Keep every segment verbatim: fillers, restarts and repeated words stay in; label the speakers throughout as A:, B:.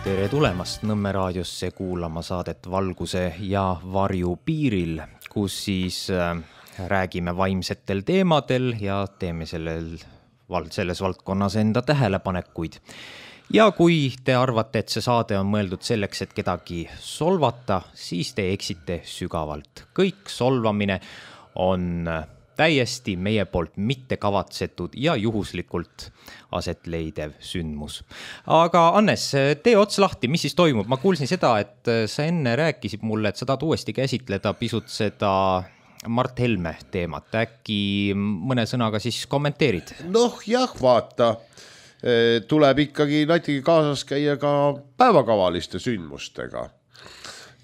A: Tere tulemast Nõmme raadiosse kuulama saadet Valguse ja varju piiril, kus siis räägime vaimsetel teemadel ja teeme sellel, selles valdkonnas enda tähelepanekuid. Ja kui te arvate, et see saade on mõeldud selleks, et kedagi solvata, siis te eksite sügavalt. Kõik solvamine on täiesti meie poolt mitte kavatsetud ja juhuslikult aset leidev sündmus. Aga Annes, tee ots lahti, mis siis toimub? Ma kuulsin seda, et sa enne rääkisid mulle, et sa tahad uuesti käsitleda pisut seda Mart Helme teemat. Äkki mõne sõnaga siis kommenteerid?
B: Noh jah, vaata, tuleb ikkagi natuke kaasas käia ka päevakavaliste sündmustega.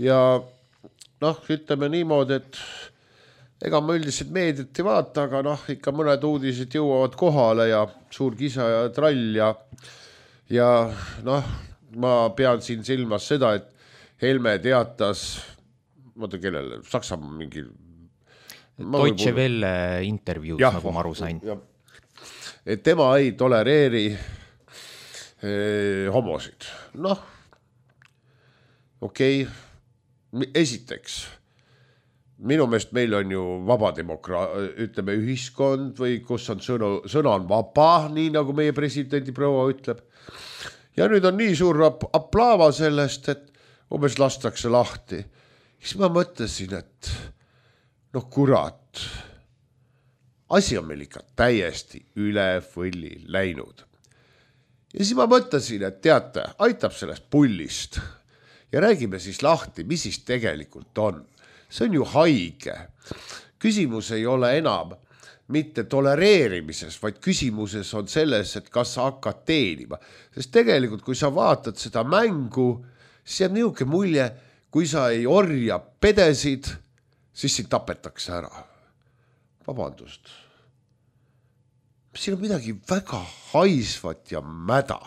B: Ja noh, ütleme niimoodi, et ega ma üldiselt meediat ei vaata, aga noh, ikka mõned uudised jõuavad kohale ja suur kisa ja trall ja, ja noh, ma pean siin silmas seda, et Helme teatas, vaata kellele, Saksamaa mingi
A: Deutsche Welle intervjuus, ja, nagu ma aru sain. Ja,
B: et tema ei tolereeri eh, homosid. Noh, okei, okay. Esiteks, minu meelest meil on ju vaba demokraa, ütleme ühiskond või kus on sõna, sõna on vaba, nii nagu meie presidendi proua ütleb. Ja nüüd on nii suur aplaava sellest, et umbes lastakse lahti. Siis ma mõtlesin, et noh kurat, asi on meil ikka täiesti üle võlli läinud. Ja siis ma mõtlesin, et teate, aitab sellest pullist ja räägime siis lahti, mis siis tegelikult on. See on ju haige. Küsimus ei ole enam mitte tolereerimises, vaid küsimuses on selles, et kas sa hakkad teenima. Sest tegelikult, kui sa vaatad seda mängu, siis jääb niisugune mulje, kui sa ei orja pedesid, siis sind tapetakse ära. Vabandust. Siin on midagi väga haisvat ja mäda.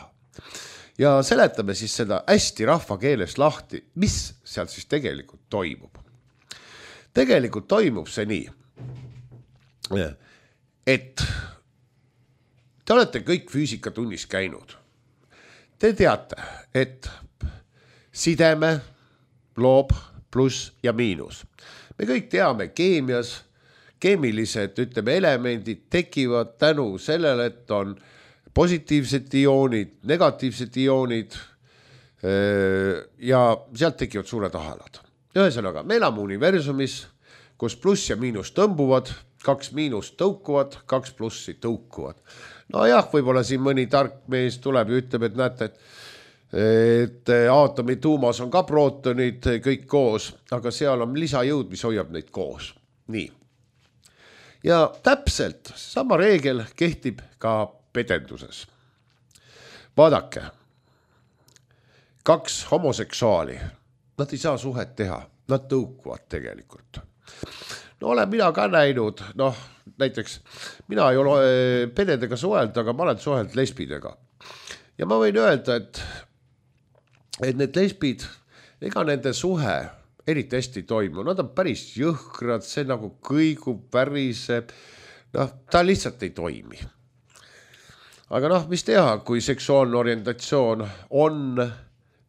B: Ja seletame siis seda hästi rahvakeeles lahti, mis seal siis tegelikult toimub. Tegelikult toimub see nii, et te olete kõik füüsikatunnis käinud. Te teate, et sideme loob pluss ja miinus. Me kõik teame keemias, keemilised ütleme, elemendid tekivad tänu sellele, et on positiivsed ioonid, negatiivsed ioonid ja sealt tekivad suured ahelad. Ühesõnaga, me elame universumis, kus pluss ja miinus tõmbuvad, kaks miinus tõukuvad, kaks plussi tõukuvad. No jah, võib-olla siin mõni tark mees tuleb ja ütleb, et näete, et, et aatomi tuumas on ka prootonid kõik koos, aga seal on lisajõud, mis hoiab neid koos. Nii. Ja täpselt sama reegel kehtib ka pedenduses. Vaadake, kaks homoseksuaali, nad ei saa suhet teha, nad tõukuvad tegelikult. No olen mina ka näinud, noh näiteks mina ei ole pededega suheld, aga ma olen suheld lesbidega. Ja ma võin öelda, et, et need lesbid, ega nende suhe eriti hästi toimu, nad on päris jõhkrad, see nagu kõigub, väriseb, noh ta lihtsalt ei toimi. Aga noh, mis teha, kui seksuaalne orientatsioon on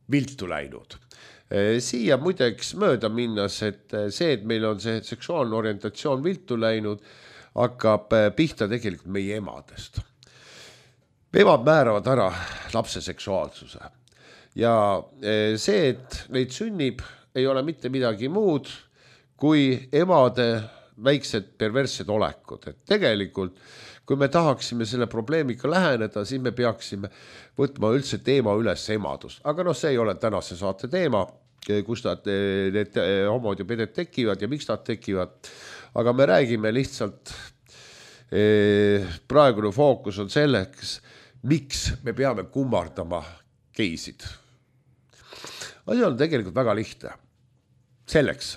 B: viltu läinud. Siia muideks mööda minnas, et see, et meil on see seksuaalne orientatsioon viltu läinud, hakkab pihta tegelikult meie emadest. Emad määravad ära lapse seksuaalsuse. Ja see, et neid sünnib, ei ole mitte midagi muud, kui emade väiksed perverssed olekud. Et tegelikult, kui me tahaksime selle probleemiga läheneda, siis me peaksime võtma üldse teema üles emadust. Aga noh, see ei ole tänase saate teema, kus nad, need homod ja peded tekivad ja miks nad tekivad. Aga me räägime lihtsalt, praegune fookus on selleks, miks me peame kummardama geisid. Asi on tegelikult väga lihtne. Selleks,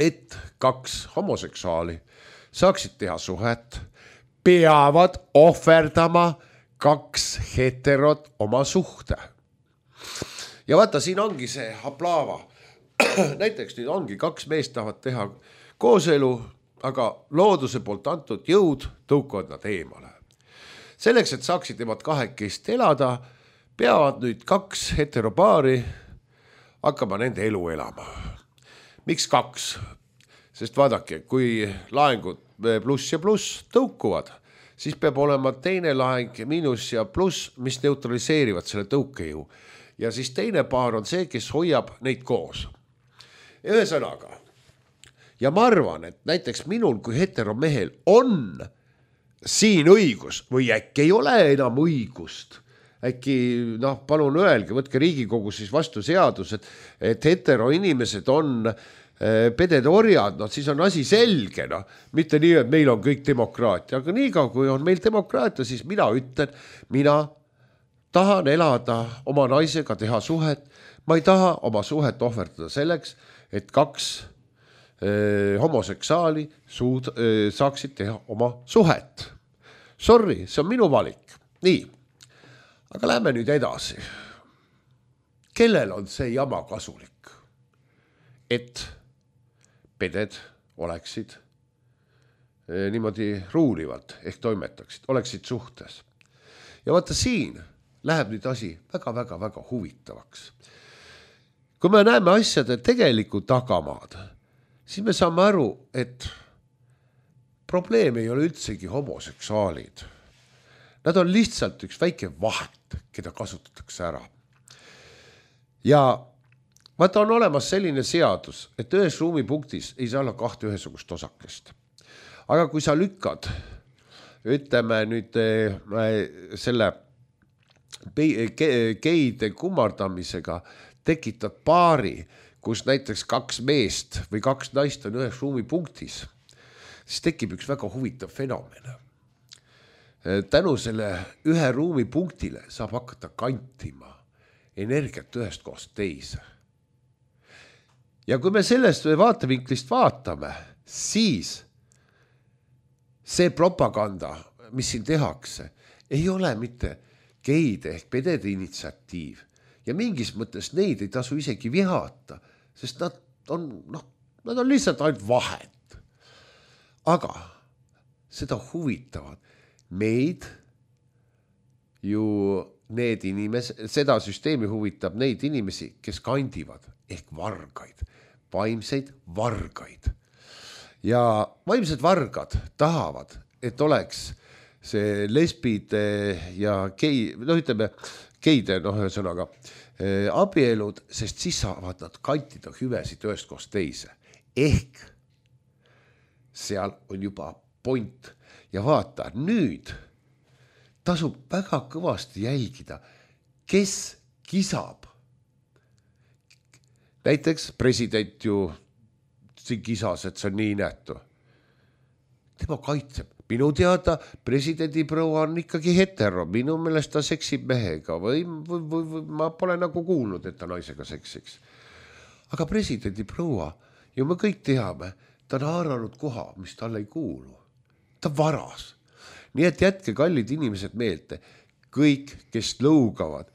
B: et kaks homoseksuaali saaksid teha suhet, peavad ohverdama kaks heterot oma suhte. Ja vaata, siin ongi see aplaava. Näiteks nüüd ongi kaks meest tahavad teha kooselu, aga looduse poolt antud jõud tõukavad nad eemale. Selleks, et saaksid nemad kahekest elada, peavad nüüd kaks heteropaari hakkama nende elu elama. Miks kaks? Sest vaadake, kui laengud pluss ja pluss tõukuvad, siis peab olema teine laeng miinus ja pluss, mis neutraliseerivad selle tõukejõu. Ja siis teine paar on see, kes hoiab neid koos. Ühesõnaga, ja ma arvan, et näiteks minul kui heteromehel on siin õigus või äkki ei ole enam õigust. Äkki, noh, palun öelge, võtke Riigikogu siis vastu seadus, et, et hetero inimesed on pedede orjad, no siis on asi selge, no. Mitte nii, et meil on kõik demokraatia, aga nii ka, kui on meil demokraatia, siis mina ütlen, mina tahan elada oma naisega, teha suhet, ma ei taha oma suhet ohverdada selleks, et kaks eh, homoseksaali suud, eh, saaksid teha oma suhet. Sorry, see on minu valik. Nii, aga lähme nüüd edasi. Kellel on see jama kasulik? Et peded oleksid eh, niimoodi ruulivalt ehk toimetaksid, oleksid suhtes. Ja vaata siin läheb nüüd asi väga-väga-väga huvitavaks. Kui me näeme asjade tegeliku tagamaad, siis me saame aru, et probleem ei ole üldsegi homoseksuaalid. Nad on lihtsalt üks väike vahet, keda kasutatakse ära. Ja vaata on olemas selline seadus, et ühes ruumipunktis ei saa olla kahte ühesugust osakest. Aga kui sa lükkad, ütleme nüüd selle geide kummardamisega tekitad paari, kus näiteks kaks meest või kaks naist on ühes ruumipunktis, siis tekib üks väga huvitav fenomen. Tänu selle ühe ruumipunktile saab hakata kantima energiat ühest kohast teise. Ja kui me sellest vaatevinklist vaatame, siis see propaganda, mis siin tehakse, ei ole mitte geide ehk pedede initsiatiiv. Ja mingis mõttes neid ei tasu isegi vihata, sest nad on, noh, nad on lihtsalt ainult vahed. Aga seda huvitavad meid ju need inimesed, seda süsteemi huvitab neid inimesi, kes kandivad ehk vargaid, vaimseid vargaid. Ja vaimsed vargad tahavad, et oleks see lesbide ja gei, noh ütleme, geide, noh ühesõnaga, abielud, sest siis saavad nad kantida hüvesid ühest kohast teise. Ehk seal on juba point. Ja vaata, nüüd tasub väga kõvasti jälgida, kes kisab. Näiteks president ju siin kisas, et see on nii nähtu. Tema kaitseb. Minu teada presidendi proua on ikkagi hetero. Minu meelest ta seksib mehega või, või, või, või ma pole nagu kuulnud, et ta naisega seksiks. Aga presidendi proua, ju me kõik teame, ta on haaranud koha, mis talle ei kuulu. Ta varas. Nii et jätke kallid inimesed meelde, kõik, kes lõugavad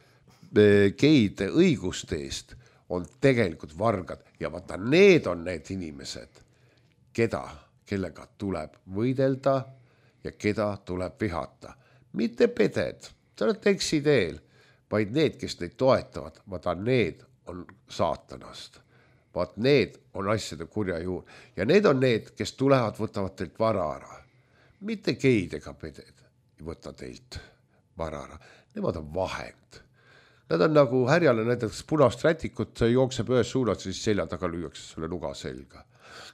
B: geide õiguste eest, on tegelikult vargad. Ja vaata, need on need inimesed, keda, kellega tuleb võidelda ja keda tuleb vihata. Mitte peded, see on eksiteel, vaid need, kes neid toetavad, vaata, need on saatanast. Vaat need on asjade kurja juur. Ja need on need, kes tulevad, võtavad teilt vara ära. Mitte geid ega peded ei võta teilt vara ära. Nemad on vahend. Nad on nagu härjale näiteks punast rätikut, jookseb ühes suunas, siis selja taga lüüakse selle nuga selga.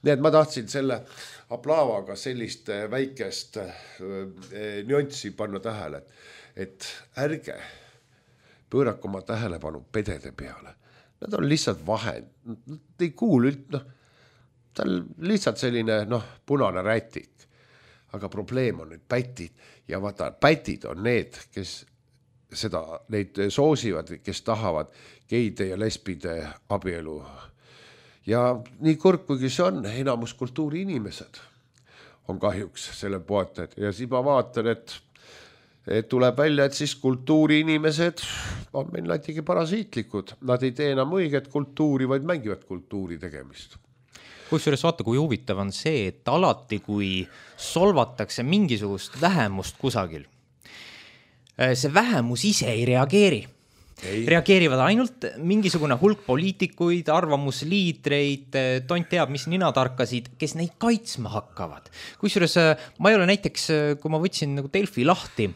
B: Nii et ma tahtsin selle aplaavaga sellist väikest nüanssi panna tähele, et ärge pöörake oma tähelepanu pedede peale. Nad on lihtsalt vahend. Nad ei kuulu üld, noh, ta on lihtsalt selline, noh, punane rätik. Aga probleem on nüüd pätid ja vaata, pätid on need, kes seda, neid soosivad, kes tahavad geide ja lesbide abielu. Ja nii kurb, kuigi see on, enamus kultuuri inimesed on kahjuks selle poetajad. Ja siis ma vaatan, et, et tuleb välja, et siis kultuuri inimesed on meil näitegi parasiitlikud. Nad ei tee enam õiget kultuuri, vaid mängivad kultuuri tegemist.
A: Kusjuures vaata, kui huvitav on see, et alati, kui solvatakse mingisugust vähemust kusagil, see vähemus ise ei reageeri. Ei. Reageerivad ainult mingisugune hulk poliitikuid, arvamusliidreid, tont teab, mis ninatarkasid, kes neid kaitsma hakkavad. Kusjuures ma ei ole näiteks, kui ma võtsin nagu Delfi lahti,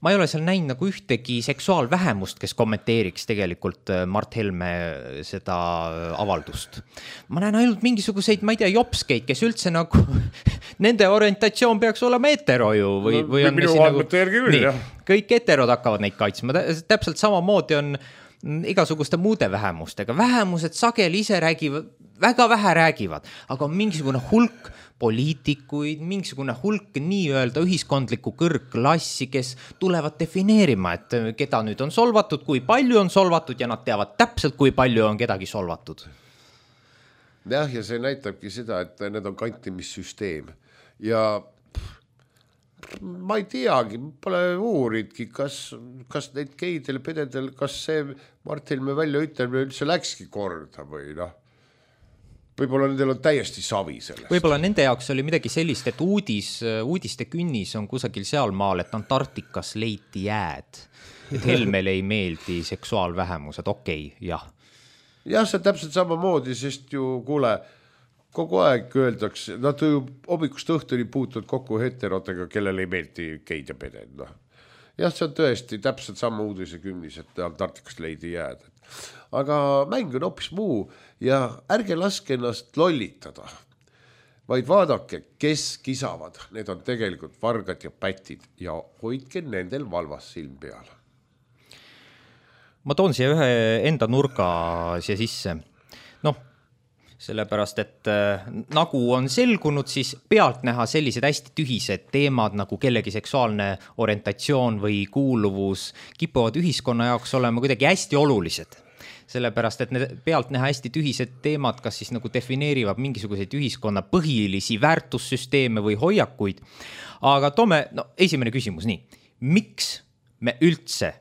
A: ma ei ole seal näinud nagu ühtegi seksuaalvähemust, kes kommenteeriks tegelikult Mart Helme seda avaldust. Ma näen ainult mingisuguseid, ma ei tea, jopskeid, kes üldse nagu nende orientatsioon peaks olema hetero ju. Või, no, või on
B: minu andmete järgi küll, jah.
A: Kõik heterod hakkavad neid kaitsma. Täpselt samamoodi on igasuguste muude vähemustega. Vähemused sageli ise räägivad, väga vähe räägivad, aga on mingisugune hulk poliitikuid, mingisugune hulk nii-öelda ühiskondliku kõrgklassi, kes tulevad defineerima, et keda nüüd on solvatud, kui palju on solvatud ja nad teavad täpselt, kui palju on kedagi solvatud.
B: Jah, ja see näitabki seda, et need on kantimissüsteem ja ma ei teagi, pole uuridki, kas, kas neid geidel, pededel, kas see Mart Helme välja ütlemine üldse läkski korda või noh. Võib-olla nendel on täiesti savi sellest.
A: Võib-olla nende jaoks oli midagi sellist, et uudis, uudiste künnis on kusagil seal maal, et Antarktikas leiti jääd. Et Helmele ei meeldi seksuaalvähemused, okei, okay, jah.
B: Jah, see täpselt samamoodi, sest ju kuule, kogu aeg öeldakse, nad ju hommikust õhtuni puutuvad kokku heterotega, kellel ei meeldi geid ja peded. No. Jah, see on tõesti täpselt sama uudise künnis, et Antarktikas leidi jääd. Aga mäng on hoopis muu ja ärge laske ennast lollitada, vaid vaadake, kes kisavad. Need on tegelikult vargad ja pätid ja hoidke nendel valvas silm peal.
A: Ma toon siia ühe enda nurga siia sisse. Noh, sellepärast, et äh, nagu on selgunud, siis pealt näha sellised hästi tühised teemad nagu kellegi seksuaalne orientatsioon või kuuluvus kipuvad ühiskonna jaoks olema kuidagi hästi olulised. Sellepärast, et need pealt näha hästi tühised teemad, kas siis nagu defineerivad mingisuguseid ühiskonna põhilisi väärtussüsteeme või hoiakuid. Aga toome, no esimene küsimus, nii. Miks me üldse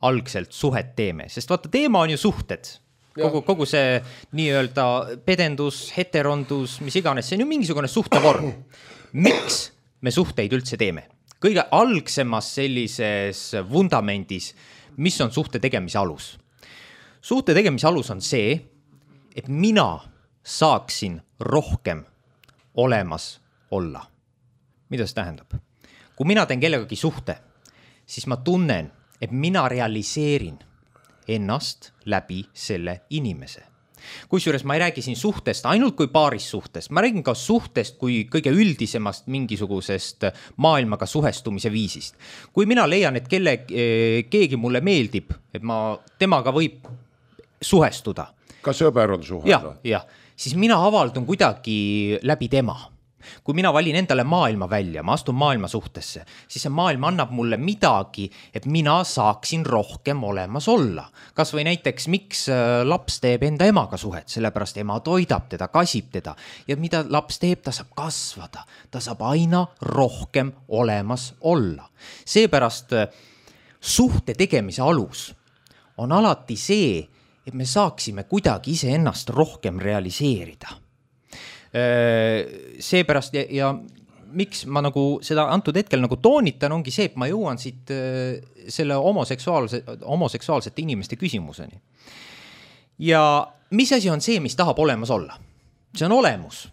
A: algselt suhet teeme? Sest vaata, teema on ju suhted. Kogu, kogu see nii-öelda pedendus, heterondus, mis iganes, see on ju mingisugune suhtevorm. Miks me suhteid üldse teeme? Kõige algsemas sellises vundamendis, mis on suhte tegemise alus? Suhte tegemise alus on see, et mina saaksin rohkem olemas olla. Mida see tähendab? Kui mina teen kellegagi suhte, siis ma tunnen, et mina realiseerin ennast läbi selle inimese. Kusjuures ma ei räägi siin suhtest ainult kui paaris suhtest, ma räägin ka suhtest kui kõige üldisemast mingisugusest maailmaga suhestumise viisist. Kui mina leian, et kelle, keegi mulle meeldib, et ma temaga võib suhestuda.
B: Ka sõber on suhe.
A: Jah, jah, siis mina avaldun kuidagi läbi tema. Kui mina valin endale maailma välja, ma astun maailma suhtesse, siis see maailm annab mulle midagi, et mina saaksin rohkem olemas olla. Kas või näiteks, miks laps teeb enda emaga suhet, sellepärast ema toidab teda, kasib teda ja mida laps teeb, ta saab kasvada, ta saab aina rohkem olemas olla. Seepärast suhte tegemise alus on alati see, et me saaksime kuidagi ise ennast rohkem realiseerida. Seepärast ja, ja miks ma nagu seda antud hetkel nagu toonitan, ongi see, et ma jõuan siit selle homoseksuaalse, homoseksuaalsete inimeste küsimuseni. Ja mis asi on see, mis tahab olemas olla? See on olemus.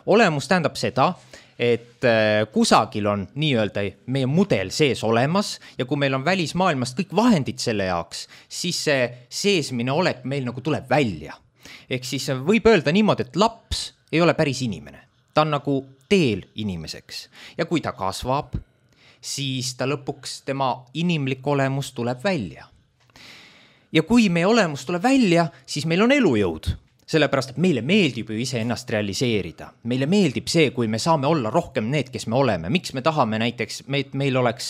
A: Olemus tähendab seda, et kusagil on nii-öelda meie mudel sees olemas ja kui meil on välismaailmast kõik vahendid selle jaoks, siis see seesmine olek meil nagu tuleb välja. Ehk siis võib öelda niimoodi, et laps ei ole päris inimene. Ta on nagu teel inimeseks. Ja kui ta kasvab, siis ta lõpuks tema inimlik olemus tuleb välja. Ja kui meie olemus tuleb välja, siis meil on elujõud. Sellepärast, et meile meeldib ju ise ennast realiseerida. Meile meeldib see, kui me saame olla rohkem need, kes me oleme. Miks me tahame näiteks, et meil oleks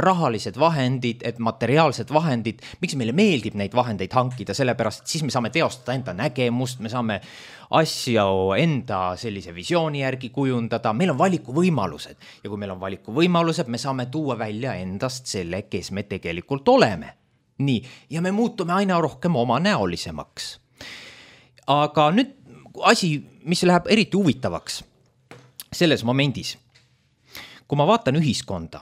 A: rahalised vahendid, et materiaalsed vahendid, miks meile meeldib neid vahendeid hankida, sellepärast, et siis me saame teostada enda nägemust, me saame asja enda sellise visiooni järgi kujundada, meil on valikuvõimalused ja kui meil on valikuvõimalused, me saame tuua välja endast selle, kes me tegelikult oleme. Nii, ja me muutume aina rohkem oma näolisemaks. Aga nüüd asi, mis läheb eriti huvitavaks selles momendis, kui ma vaatan ühiskonda,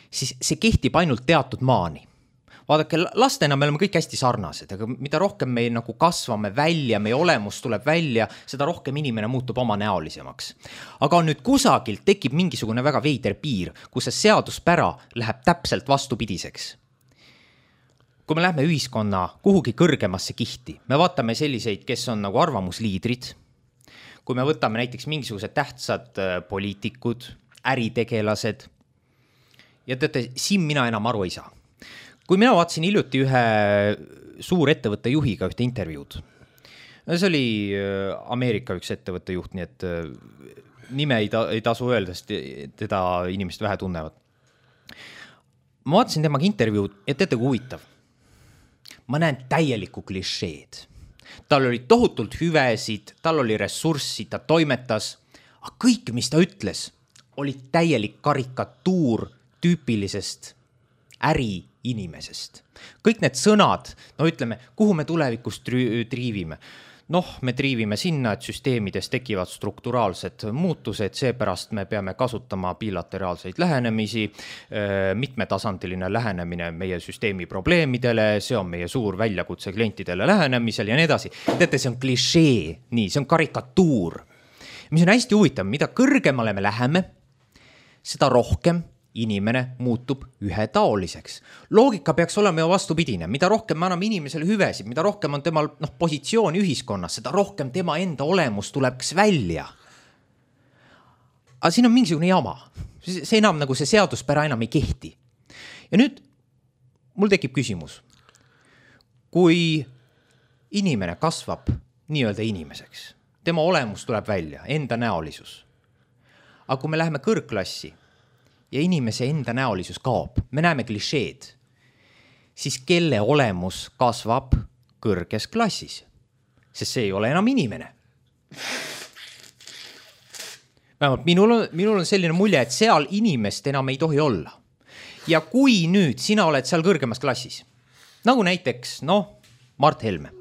A: siis see kehtib ainult teatud maani. vaadake, lastena me oleme kõik hästi sarnased, aga mida rohkem me nagu kasvame välja, meie olemus tuleb välja, seda rohkem inimene muutub oma näolisemaks. Aga nüüd kusagilt tekib mingisugune väga veider piir, kus see seaduspära läheb täpselt vastupidiseks. Kui me lähme ühiskonna kuhugi kõrgemasse kihti, me vaatame selliseid, kes on nagu arvamusliidrid, kui me võtame näiteks mingisugused tähtsad poliitikud, äritegelased, ja teate, siin mina enam aru ei saa. Kui mina vaatasin hiljuti ühe suur ettevõtte juhiga ühte intervjuud, see oli Ameerika üks ettevõtte juht, nii et nime ei, ta, ei tasu öelda, sest teda inimesed vähe tunnevad. Ma vaatasin temaga intervjuud ja teate, kui huvitav. Ma näen täielikku klišeed. Tal oli tohutult hüvesid, tal oli ressurssi, ta toimetas, aga kõik, mis ta ütles, oli täielik karikatuur tüüpilisest äri inimesest. Kõik need sõnad, no ütleme, kuhu me tulevikus triivime. Noh, me triivime sinna, et süsteemides tekivad strukturaalsed muutused, seepärast me peame kasutama bilateraalseid lähenemisi, mitmetasandiline lähenemine meie süsteemi probleemidele, see on meie suur väljakutse klientidele lähenemisel ja nii edasi. Teate, see on klišee, nii, see on karikatuur. Mis on hästi huvitav, mida kõrgemale me läheme, seda rohkem inimene muutub ühetaoliseks. Loogika peaks olema ju vastupidine. Mida rohkem me anname inimesele hüvesid, mida rohkem on temal noh, positsiooni ühiskonnas, seda rohkem tema enda olemus tuleks välja. Aga siin on mingisugune jama. See enam nagu see seaduspära enam ei kehti. Ja nüüd mul tekib küsimus. Kui inimene kasvab nii-öelda inimeseks, tema olemus tuleb välja, enda näolisus. Aga kui me läheme kõrgklassi, ja inimese enda näolisus kaob, me näeme klišeed, siis kelle olemus kasvab kõrges klassis, sest see ei ole enam inimene. Vähemalt minul on, minul on selline mulje, et seal inimest enam ei tohi olla. Ja kui nüüd sina oled seal kõrgemas klassis, nagu näiteks, noh, Mart Helme.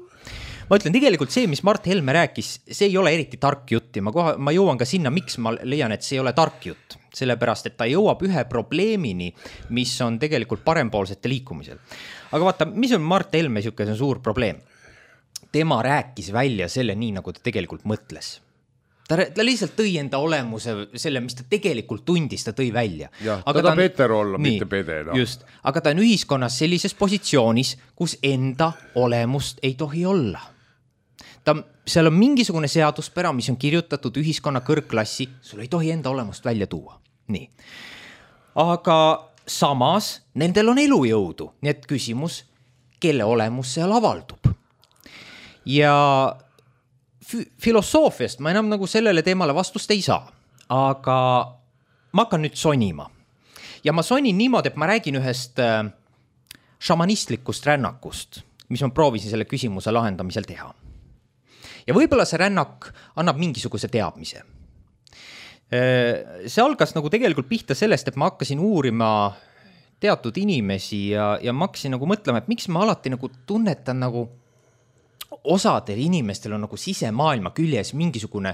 A: Ma ütlen, tegelikult see, mis Mart Helme rääkis, see ei ole eriti tark jutt ja ma, koha, ma jõuan ka sinna, miks ma leian, et see ei ole tark jutt. Sellepärast, et ta jõuab ühe probleemini, mis on tegelikult parempoolsete liikumisel. Aga vaata, mis on Mart Helme niisugune suur probleem? Tema rääkis välja selle nii, nagu ta tegelikult mõtles. Ta, ta lihtsalt tõi enda olemuse, selle, mis ta tegelikult tundis, ta tõi välja.
B: Jah, aga ta tahab eter olla, nii, mitte pede. No.
A: Just, aga ta on ühiskonnas sellises positsioonis, kus enda olemust ei tohi olla. Ta, seal on mingisugune seaduspära, mis on kirjutatud ühiskonna kõrgklassi, sul ei tohi enda olemust välja tuua. Nii. Aga samas nendel on elujõudu, nii et küsimus, kelle olemus seal avaldub. Ja filosoofiast ma enam nagu sellele teemale vastust ei saa, aga ma hakkan nüüd sonima. Ja ma sonin niimoodi, et ma räägin ühest šamanistlikust rännakust, mis ma proovisin selle küsimuse lahendamisel teha. Ja võib-olla see rännak annab mingisuguse teadmise. See algas nagu tegelikult pihta sellest, et ma hakkasin uurima teatud inimesi ja, ja ma hakkasin nagu mõtlema, et miks ma alati nagu tunnetan nagu osadel inimestel on nagu sisemaailma küljes mingisugune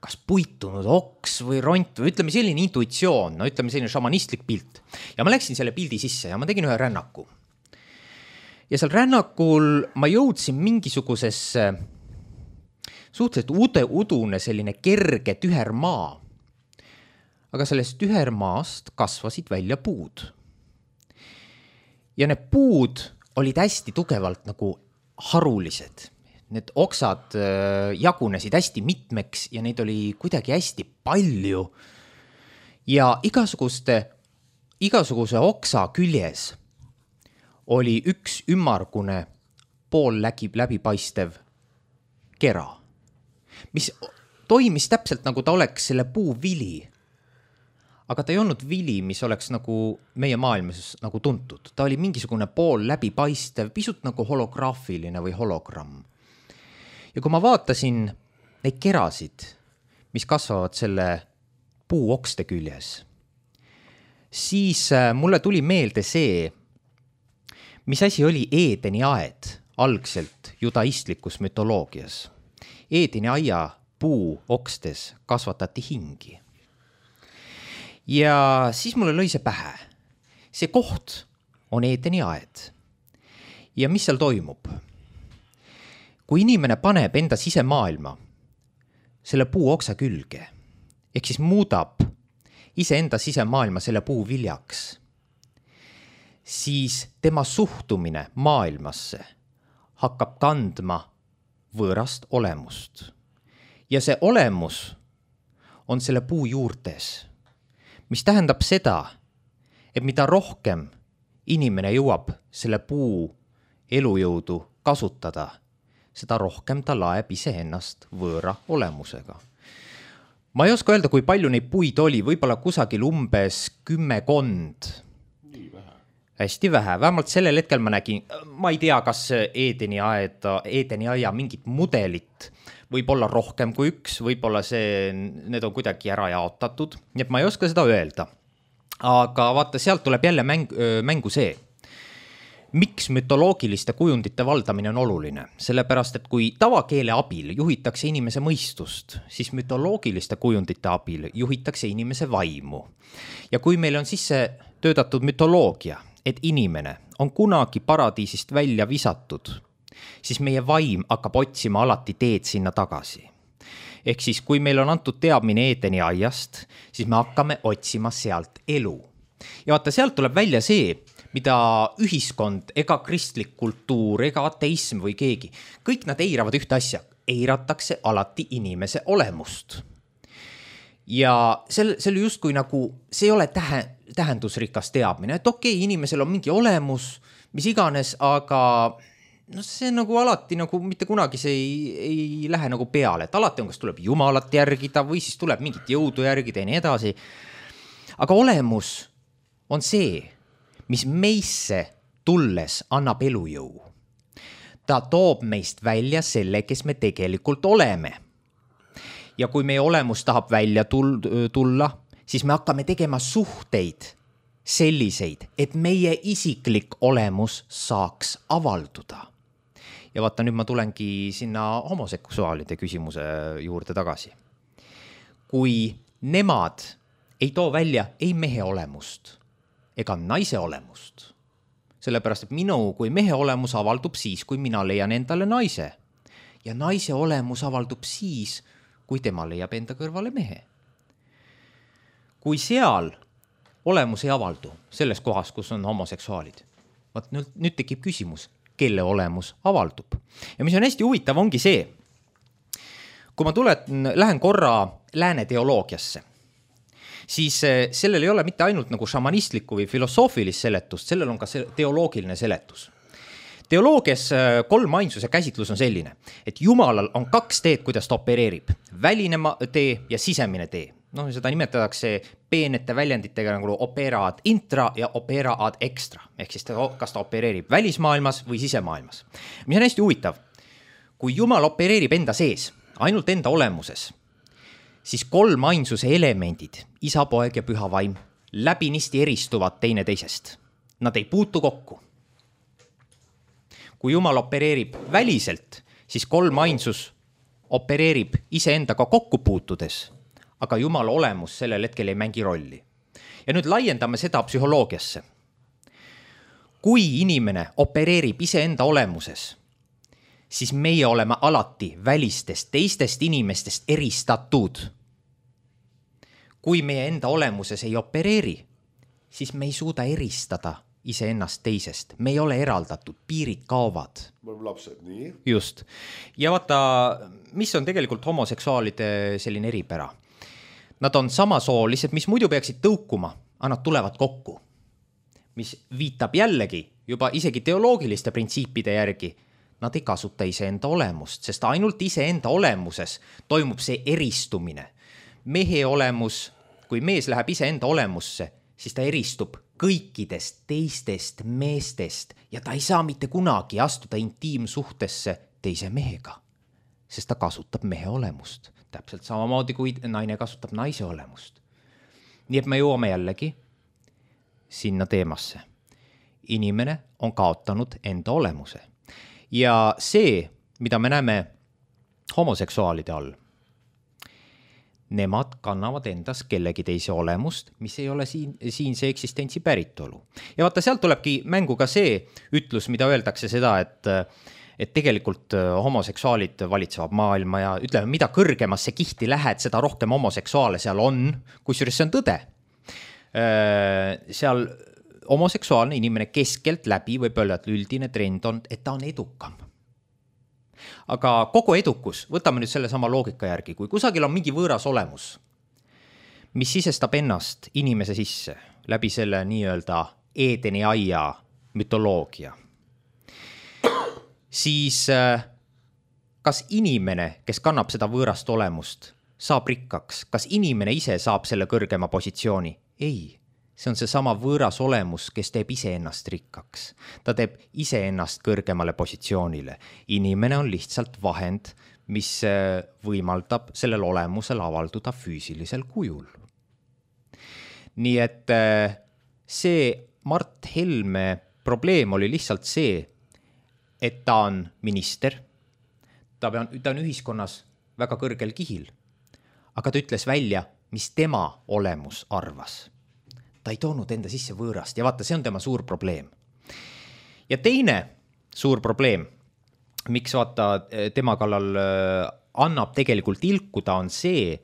A: kas puitunud oks või ront või ütleme selline intuitsioon, no ütleme selline šamanistlik pilt. Ja ma läksin selle pildi sisse ja ma tegin ühe rännaku. Ja seal rännakul ma jõudsin mingisugusesse suhteliselt ude, udune selline kerge tühermaa. Aga sellest tühermaast kasvasid välja puud. Ja need puud olid hästi tugevalt nagu harulised. Need oksad jagunesid hästi mitmeks ja neid oli kuidagi hästi palju. Ja igasuguste, igasuguse oksa küljes oli üks ümmargune pool läbi, läbipaistev kera, mis toimis täpselt nagu ta oleks selle puu vili. Aga ta ei olnud vili, mis oleks nagu meie maailmas nagu tuntud. Ta oli mingisugune pool läbipaistev, pisut nagu holograafiline või hologramm. Ja kui ma vaatasin neid kerasid, mis kasvavad selle puu okste küljes, siis mulle tuli meelde see, mis asi oli Eedeni aed algselt judaistlikus mütoloogias. Eedeni aia puu okstes kasvatati hingi. Ja siis mulle lõi see pähe. See koht on Eedeni aed. ja mis seal toimub? Kui inimene paneb enda sisemaailma selle puu oksa külge, ehk siis muudab iseenda sisemaailma selle puu viljaks, siis tema suhtumine maailmasse hakkab kandma võõrast olemust. Ja see olemus on selle puu juurtes, mis tähendab seda, et mida rohkem inimene jõuab selle puu elujõudu kasutada, seda rohkem ta laeb iseennast võõra olemusega. Ma ei oska öelda, kui palju neid puid oli, võib-olla kusagil umbes kümmekond.
B: Nii vähe.
A: Hästi vähe, vähemalt sellel hetkel ma nägin, ma ei tea, kas Edeni aeda, Edeni aia mingit mudelit, võib-olla rohkem kui üks, võib-olla see, need on kuidagi ära jaotatud, nii et ma ei oska seda öelda. Aga vaata, sealt tuleb jälle mäng, mängu see, miks mütoloogiliste kujundite valdamine on oluline, sellepärast, et kui tavakeele abil juhitakse inimese mõistust, siis mütoloogiliste kujundite abil juhitakse inimese vaimu. Ja kui meil on sisse töötatud mütoloogia, et inimene on kunagi paradiisist välja visatud, siis meie vaim hakkab otsima alati teed sinna tagasi. Ehk siis, kui meil on antud teadmine Edeni aiast, siis me hakkame otsima sealt elu. Ja vaata, sealt tuleb välja see, mida ühiskond, ega kristlik kultuur, ega ateism või keegi, kõik nad eiravad ühte asja, eiratakse alati inimese olemust. Ja see, see oli justkui nagu, see ei ole tähe, tähendusrikas teadmine, et okei, okay, inimesel on mingi olemus, mis iganes, aga no see nagu alati nagu mitte kunagi see ei, ei lähe nagu peale, et alati on, kas tuleb Jumalat järgida või siis tuleb mingit jõudu järgida ja nii edasi. Aga olemus on see, mis meisse tulles annab elujõu. Ta toob meist välja selle, kes me tegelikult oleme. Ja kui meie olemus tahab välja tulla, siis me hakkame tegema suhteid selliseid, et meie isiklik olemus saaks avalduda. Ja vaata, nüüd ma tulengi sinna homoseksuaalide küsimuse juurde tagasi. Kui nemad ei too välja ei mehe olemust ega naise olemust, sellepärast, et minu kui mehe olemus avaldub siis, kui mina leian endale naise. Ja naise olemus avaldub siis, kui tema leiab enda kõrvale mehe. Kui seal olemus ei avaldu selles kohas, kus on homoseksuaalid, vaat nüüd, nüüd tekib küsimus, kelle olemus avaldub. Ja mis on hästi huvitav, ongi see, kui ma tulen, lähen korra lääne teoloogiasse, siis sellel ei ole mitte ainult nagu šamanistlikku või filosoofilist seletust, sellel on ka teoloogiline seletus. Teoloogias kolm ainsuse käsitlus on selline, et Jumalal on kaks teed, kuidas ta opereerib. Väline tee ja sisemine tee. No, seda nimetatakse peenete väljenditega nagu opera ad intra ja opera ad extra. Ehk siis ta, kas ta opereerib välismaailmas või sisemaailmas. Mis on hästi huvitav, kui Jumal opereerib enda sees, ainult enda olemuses, siis kolm ainsuse elemendid, isa, poeg ja püha vaim, läbinisti eristuvad teine teisest. Nad ei puutu kokku. Kui Jumal opereerib väliselt, siis kolm ainsus opereerib iseendaga kokku puutudes, aga Jumala olemus sellel hetkel ei mängi rolli. Ja nüüd laiendame seda psühholoogiasse. Kui inimene opereerib iseenda olemuses, siis meie oleme alati välistest teistest inimestest eristatud. Kui meie enda olemuses ei opereeri, siis me ei suuda eristada iseennast teisest. Me ei ole eraldatud, piirid kaovad.
B: Me oleme lapsed, nii?
A: Just. Ja vaata, mis on tegelikult homoseksuaalide selline eripära? Nad on samasoolised, mis muidu peaksid tõukuma, aga nad tulevad kokku. Mis viitab jällegi juba isegi teoloogiliste printsiipide järgi, nad ei kasuta iseenda olemust, sest ainult iseenda olemuses toimub see eristumine. Mehe olemus, kui mees läheb iseenda olemusse, siis ta eristub kõikidest teistest meestest ja ta ei saa mitte kunagi astuda intiimsuhtesse teise mehega, sest ta kasutab mehe olemust. Täpselt samamoodi, kui naine kasutab naise olemust. Nii et me jõuame jällegi sinna teemasse. Inimene on kaotanud enda olemuse. Ja see, mida me näeme homoseksuaalide all, nemad kannavad endas kellegi teise olemust, mis ei ole siin, siinse eksistentsi päritolu. Ja vaata, sealt tulebki mängu ka see ütlus, mida öeldakse seda, et, et tegelikult homoseksuaalid valitsevad maailma ja ütleme, mida kõrgemasse kihti lähed, seda rohkem homoseksuaale seal on, kusjuures see on tõde. Seal homoseksuaalne inimene keskelt läbi võib öelda, et üldine trend on, et ta on edukam. Aga kogu edukus, võtame nüüd selle sama loogika järgi, kui kusagil on mingi võõras olemus, mis sisestab ennast inimese sisse läbi selle nii-öelda Eedeni aia mütoloogia, siis kas inimene, kes kannab seda võõrast olemust, saab rikkaks? Kas inimene ise saab selle kõrgema positsiooni? Ei. See on see sama võõras olemus, kes teeb ise ennast rikkaks. Ta teeb ise ennast kõrgemale positsioonile. Inimene on lihtsalt vahend, mis võimaldab sellel olemusel avalduda füüsilisel kujul. Nii et see Mart Helme probleem oli lihtsalt see, et ta on minister, ta on, ta on ühiskonnas väga kõrgel kihil, aga ta ütles välja, mis tema olemus arvas. Ta ei toonud enda sisse võõrast ja vaata, see on tema suur probleem. Ja teine suur probleem, miks vaata tema kallal annab tegelikult ilkuda, on see,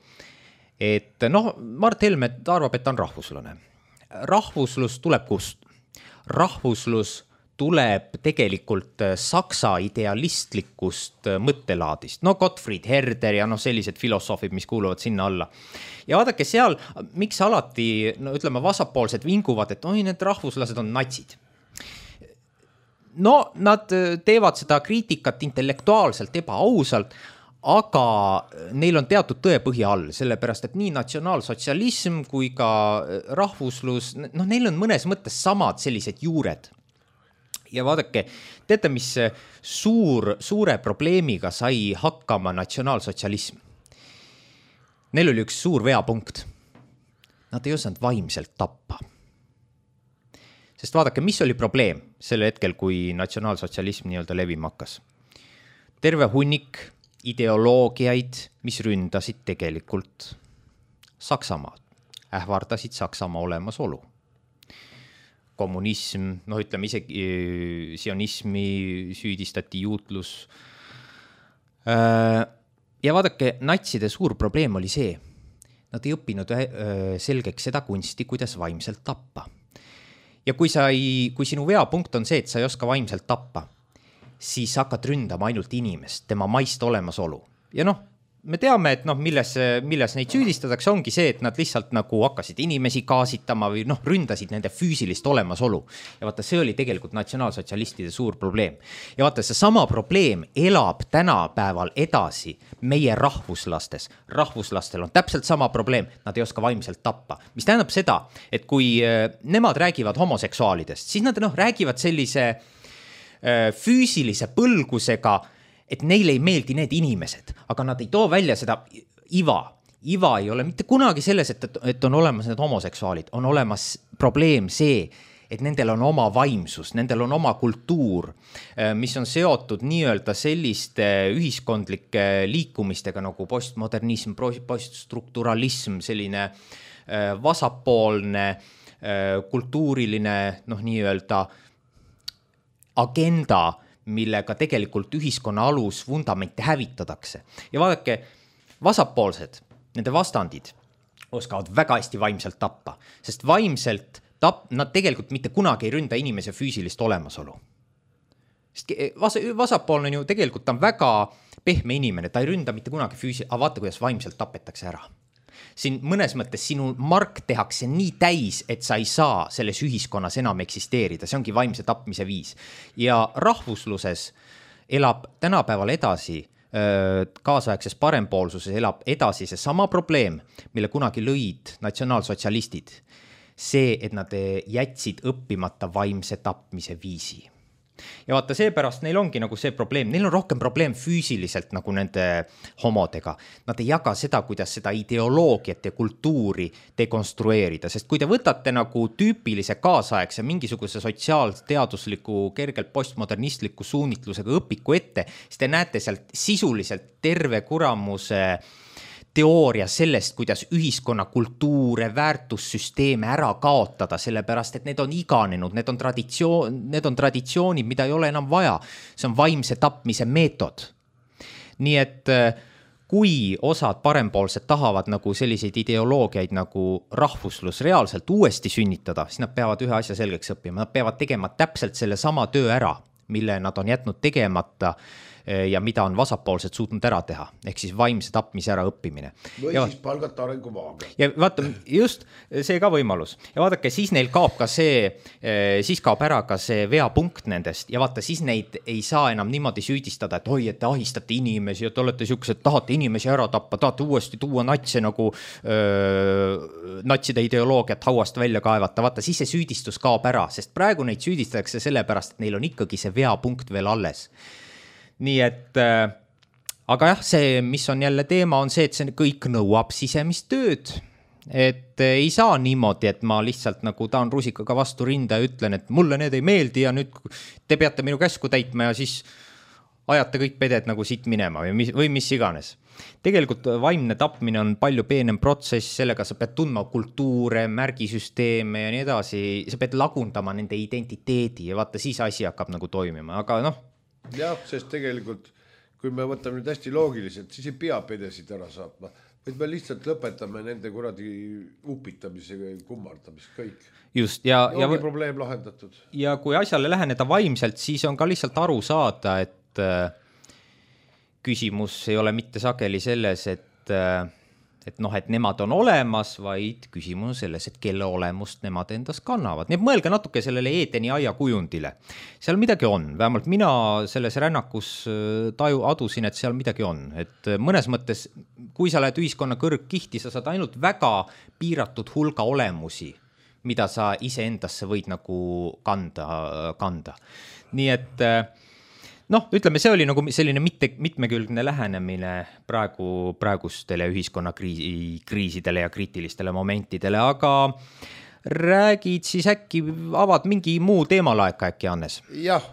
A: et noh, Mart Helme arvab, et ta on rahvuslane. Rahvuslus tuleb kust? Rahvuslus tuleb tegelikult saksa idealistlikust mõttelaadist. No Gottfried Herder ja no sellised filosoofid, mis kuuluvad sinna alla. Ja vaadake seal, miks alati, no ütleme, vasakpoolsed vinguvad, et oi, need rahvuslased on natsid. No nad teevad seda kriitikat intellektuaalselt, ebaausalt, aga neil on teatud tõepõhi all, sellepärast, et nii natsionaalsotsialism kui ka rahvuslus, no neil on mõnes mõttes samad sellised juured. Ja vaadake, teate, mis suur, suure probleemiga sai hakkama natsionaalsotsialism? Neil oli üks suur veapunkt. Nad ei osanud vaimselt tappa. Sest vaadake, mis oli probleem selle hetkel, kui natsionaalsotsialism nii-öelda levima hakkas? Terve hunnik ideoloogiaid, mis ründasid tegelikult Saksamaad, ähvardasid Saksamaa olemasolu. Kommunism, noh ütleme isegi sionismi süüdistati, juutlus. Ja vaadake, natside suur probleem oli see, nad ei õppinud selgeks seda kunsti, kuidas vaimselt tappa. Ja kui, sa ei, kui sinu veapunkt on see, et sa ei oska vaimselt tappa, siis hakkad ründama ainult inimest, tema maist olemasolu. Ja noh, me teame, et noh, milles, milles neid süüdistatakse, ongi see, et nad lihtsalt nagu hakkasid inimesi gaasitama või noh, ründasid nende füüsilist olemasolu. Ja vaata, see oli tegelikult natsionaalsotsialistide suur probleem. Ja vaata, see sama probleem elab tänapäeval edasi meie rahvuslastes. Rahvuslastel on täpselt sama probleem, nad ei oska vaimselt tappa. Mis tähendab seda, et kui nemad räägivad homoseksuaalidest, siis nad noh, räägivad sellise füüsilise põlgusega, et neile ei meeldi need inimesed, aga nad ei too välja seda iva. Iva ei ole mitte kunagi selles, et, et on olemas need homoseksuaalid. On olemas probleem see, et nendel on oma vaimsus, nendel on oma kultuur, mis on seotud nii-öelda selliste ühiskondlike liikumistega nagu postmodernism, poststrukturalism, selline vasakpoolne kultuuriline noh, nii-öelda agenda, millega tegelikult ühiskonna alus vundamente hävitatakse. Ja vaadake, vasakpoolsed, nende vastandid oskavad väga hästi vaimselt tappa, sest vaimselt tap, nad tegelikult mitte kunagi ei ründa inimese füüsilist olemasolu. Sest vas, vasakpoolne ju tegelikult on väga pehme inimene, ta ei ründa mitte kunagi füüsilist, aga vaata, kuidas vaimselt tapetakse ära. Siin mõnes mõttes sinu mark tehakse nii täis, et sa ei saa selles ühiskonnas enam eksisteerida. See ongi vaimse tapmise viis. Ja rahvusluses elab tänapäeval edasi, kaasaegses parempoolsuses elab edasi see sama probleem, mille kunagi lõid natsionaalsotsialistid. See, et nad jätsid õppimata vaimse tapmise viisi. Ja vaata, seepärast neil ongi nagu see probleem, neil on rohkem probleem füüsiliselt nagu nende homodega. Nad ei jaga seda, kuidas seda ideoloogiat ja kultuuri dekonstrueerida, sest kui te võtate nagu tüüpilise kaasaegse mingisuguse sotsiaalteadusliku, kergelt postmodernistliku suunitlusega õpiku ette, siis te näete sealt sisuliselt terve kuramuse teooria sellest, kuidas ühiskonna kultuure, väärtussüsteeme ära kaotada, sellepärast, et need on iganenud, need on traditsioon, need on traditsioonid, mida ei ole enam vaja. See on vaimse tapmise meetod. Nii et kui osad parempoolsed tahavad nagu selliseid ideoloogiaid nagu rahvuslus reaalselt uuesti sünnitada, siis nad peavad ühe asja selgeks õppima. Nad peavad tegema täpselt selle sama töö ära, mille nad on jätnud tegemata ja mida on vasakpoolsed suutnud ära teha, ehk siis vaimse tapmise ära õppimine.
B: Või
A: ja,
B: siis palgata arengumaaga.
A: Ja vaata, just see ka võimalus. Ja vaadake, siis neil kaob ka see, siis kaob ära ka see veapunkt nendest ja vaata, siis neid ei saa enam niimoodi süüdistada, et oi, et te ahistate inimesi ja te olete siuksed, tahate inimesi ära tappa, tahate uuesti tuua natse nagu öö, natside ideoloogiat hauast välja kaevata. Vaata, siis see süüdistus kaob ära, sest praegu neid süüdistatakse sellepärast, et neil on ikkagi see veapunkt veel alles. Nii et, äh, aga jah, see, mis on jälle teema, on see, et see kõik nõuab sisemist tööd. Et äh, ei saa niimoodi, et ma lihtsalt nagu taan rusikaga vastu rinda ja ütlen, et mulle need ei meeldi ja nüüd te peate minu käsku täitma ja siis ajate kõik peded nagu siit minema või mis, või mis iganes. Tegelikult vaimne tapmine on palju peenem protsess, sellega sa pead tundma kultuure, märgisüsteeme ja nii edasi, sa pead lagundama nende identiteedi ja vaata, siis asi hakkab nagu toimima, aga noh,
B: jah, sest tegelikult, kui me võtame nüüd hästi loogiliselt, siis ei pea pedesid ära saatma, vaid me lihtsalt lõpetame nende kuradi upitamise ja kummardamise kõik.
A: Just, ja,
B: ja ongi
A: ja,
B: probleem lahendatud.
A: Ja kui asjale läheneda vaimselt, siis on ka lihtsalt aru saada, et äh, küsimus ei ole mitte sageli selles, et äh, et noh, et nemad on olemas, vaid küsimus on selles, et kelle olemust nemad endas kannavad. Nii et mõelge natuke sellele Eedeni aia kujundile. Seal midagi on, vähemalt mina selles rännakus taju adusin, et seal midagi on. Et mõnes mõttes, kui sa lähed ühiskonna kõrgkihti, sa saad ainult väga piiratud hulga olemusi, mida sa ise endasse võid nagu kanda, kanda. Nii et noh, ütleme, see oli nagu selline mitte, mitmekülgne lähenemine praegu, praegustele ühiskonna kriisi, kriisidele ja kriitilistele momentidele, aga räägid siis äkki, avad mingi muu teemalaeka äkki, Hannes?
B: Jah,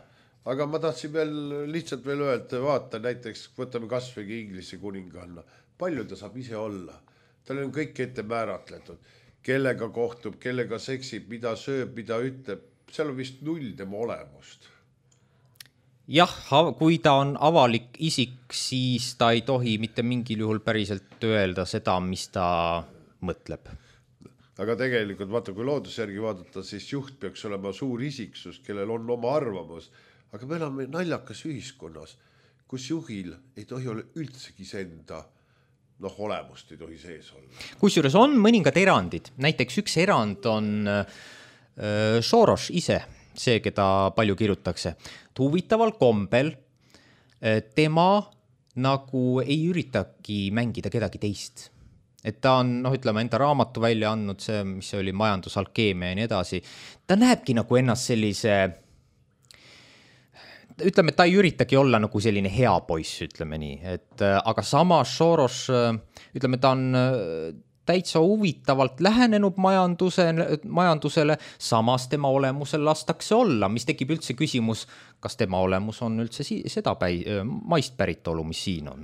B: aga ma tahtsin veel lihtsalt veel öelda, vaata näiteks, võtame kasvõi Inglise kuninganna, palju ta saab ise olla, tal on kõik ette määratletud, kellega kohtub, kellega seksib, mida sööb, mida ütleb, seal on vist null tema olemust.
A: Jah, kui ta on avalik isik, siis ta ei tohi mitte mingil juhul päriselt öelda seda, mis ta mõtleb.
B: Aga tegelikult, vaata, kui loodusjärgi vaadata, siis juht peaks olema suur isiksus, kellel on oma arvamus. Aga me oleme naljakas ühiskonnas, kus juhil ei tohi olla üldsegi enda noh, olemust ei tohi sees olla.
A: Kusjuures on mõningad erandid. Näiteks üks erand on äh, Soros ise, see, keda palju kirjutakse. Huvitaval kombel tema nagu ei üritagi mängida kedagi teist. Et ta on, noh, ütleme, enda raamatu välja andnud, see, mis oli majandusalkeemia ja nii edasi. Ta näebki nagu ennast sellise, ütleme, ta ei üritagi olla nagu selline hea poiss, ütleme nii. Et, aga samas Soros, ütleme, ta on täitsa huvitavalt lähenenud majanduse, majandusele, samas tema olemusel lastakse olla, mis tekib üldse küsimus, kas tema olemus on üldse seda päi, maist päritolu, mis siin on.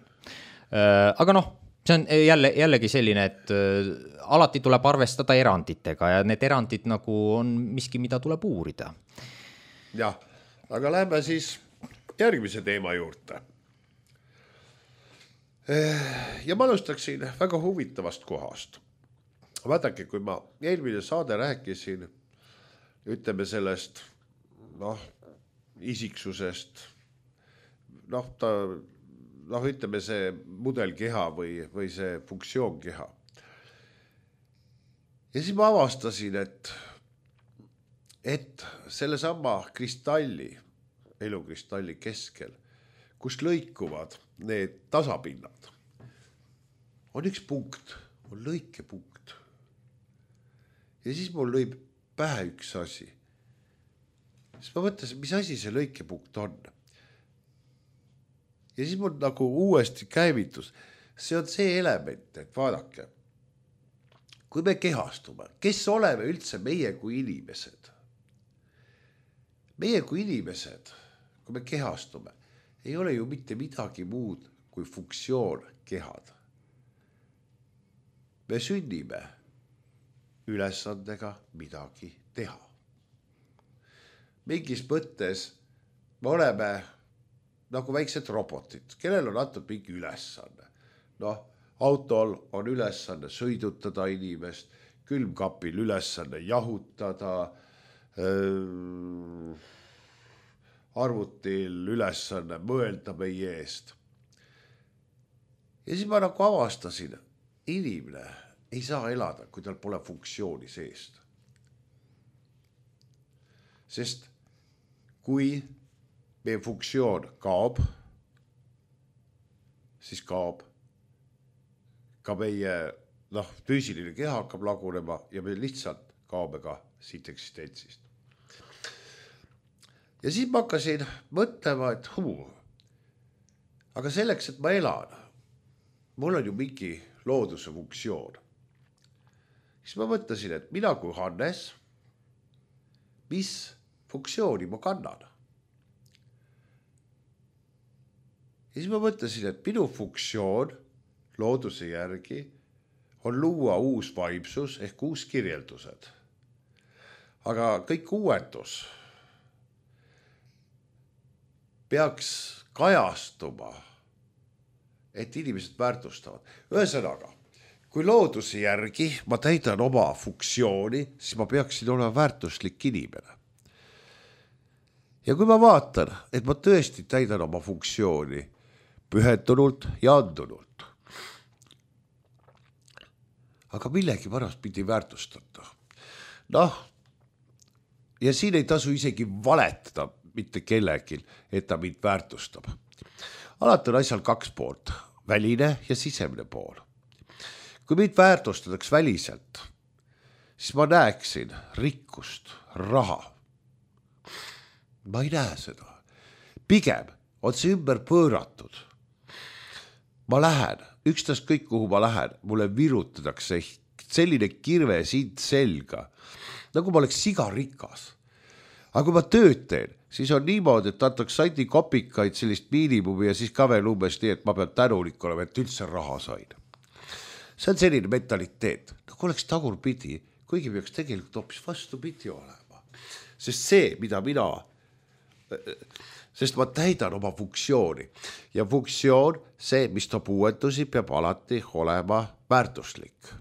A: Aga noh, see on jälle, jällegi selline, et alati tuleb arvestada eranditega ja need erandid nagu on miski, mida tuleb uurida.
B: Jah, aga lähme siis järgmise teema juurde. Ja ma alustaksin väga huvitavast kohast. Vaadake, kui ma eelmine saade rääkisin, ütleme sellest, noh, isiksusest, noh, ta, noh, ütleme see mudelkeha või, või see funktsioonkeha. Ja siis ma avastasin, et, et selle sama kristalli, elukristalli keskel, kus lõikuvad need tasapinnad, on üks punkt, on lõikepunkt. Ja siis mul lõib pähe üks asi. Siis ma mõtlesin, mis asi see lõikepunkt on. Ja siis mul nagu uuesti käivitus. See on see element, et vaadake, kui me kehastume, kes oleme üldse meie kui inimesed? Meie kui inimesed, kui me kehastume, ei ole ju mitte midagi muud kui funktsioon kehad. me sünnime ülesandega midagi teha. Mingis mõttes me oleme nagu väiksed robotid, kellel on antud mingi ülesanne. Noh, autol on ülesanne sõidutada inimest, külmkapil ülesanne jahutada, arvutil ülesanne mõelda meie eest. Ja siis ma nagu avastasin, inimene ei saa elada, kui tal pole funktsiooni seest. Sest kui meie funktsioon kaob, siis kaob ka meie noh, füüsiline keha hakkab lagunema ja me lihtsalt kaobe ka siit eksistentsist. Ja siis ma hakkasin mõtlema, et huu, aga selleks, et ma elan, mul on ju mingi looduse funktsioon. Siis ma mõtlesin, et mina kui Hannes, mis funktsiooni ma kannan. Ja siis ma mõtlesin, et minu funktsioon looduse järgi on luua uus vaimsus ehk uus kirjeldused. Aga kõik uuendus peaks kajastuma, et inimesed väärtustavad. Ühesõnaga, kui looduse järgi ma täidan oma funktsiooni, siis ma peaksin olema väärtuslik inimene. Ja kui ma vaatan, et ma tõesti täidan oma funktsiooni pühendunult ja andunult, aga millegi pärast pidi väärtustada. Noh, ja siin ei tasu isegi valetada mitte kellelgi, et ta mind väärtustab. Alati on asjal kaks poolt, väline ja sisemine pool. Kui mind väärtustataks väliselt, siis ma näeksin rikkust, raha. Ma ei näe seda. Pigem on see ümber pööratud. Ma lähen, ükstask kõik, kuhu ma lähen, mulle virutatakse selline kirve siit selga, nagu ma oleks siga rikas. Aga kui ma tööd teen, siis on niimoodi, et antaks sandi kopikaid sellist miinimumi ja siis ka veel umbes nii, et ma pean tänulik olema, et üldse raha sain. See on selline mentaliteet, nagu oleks tagurpidi, kuigi peaks tegelikult hoopis vastupidi olema. Sest see, mida mina, sest ma täidan oma funktsiooni ja funktsioon, see, mis toob uuendusi, peab alati olema väärtuslik.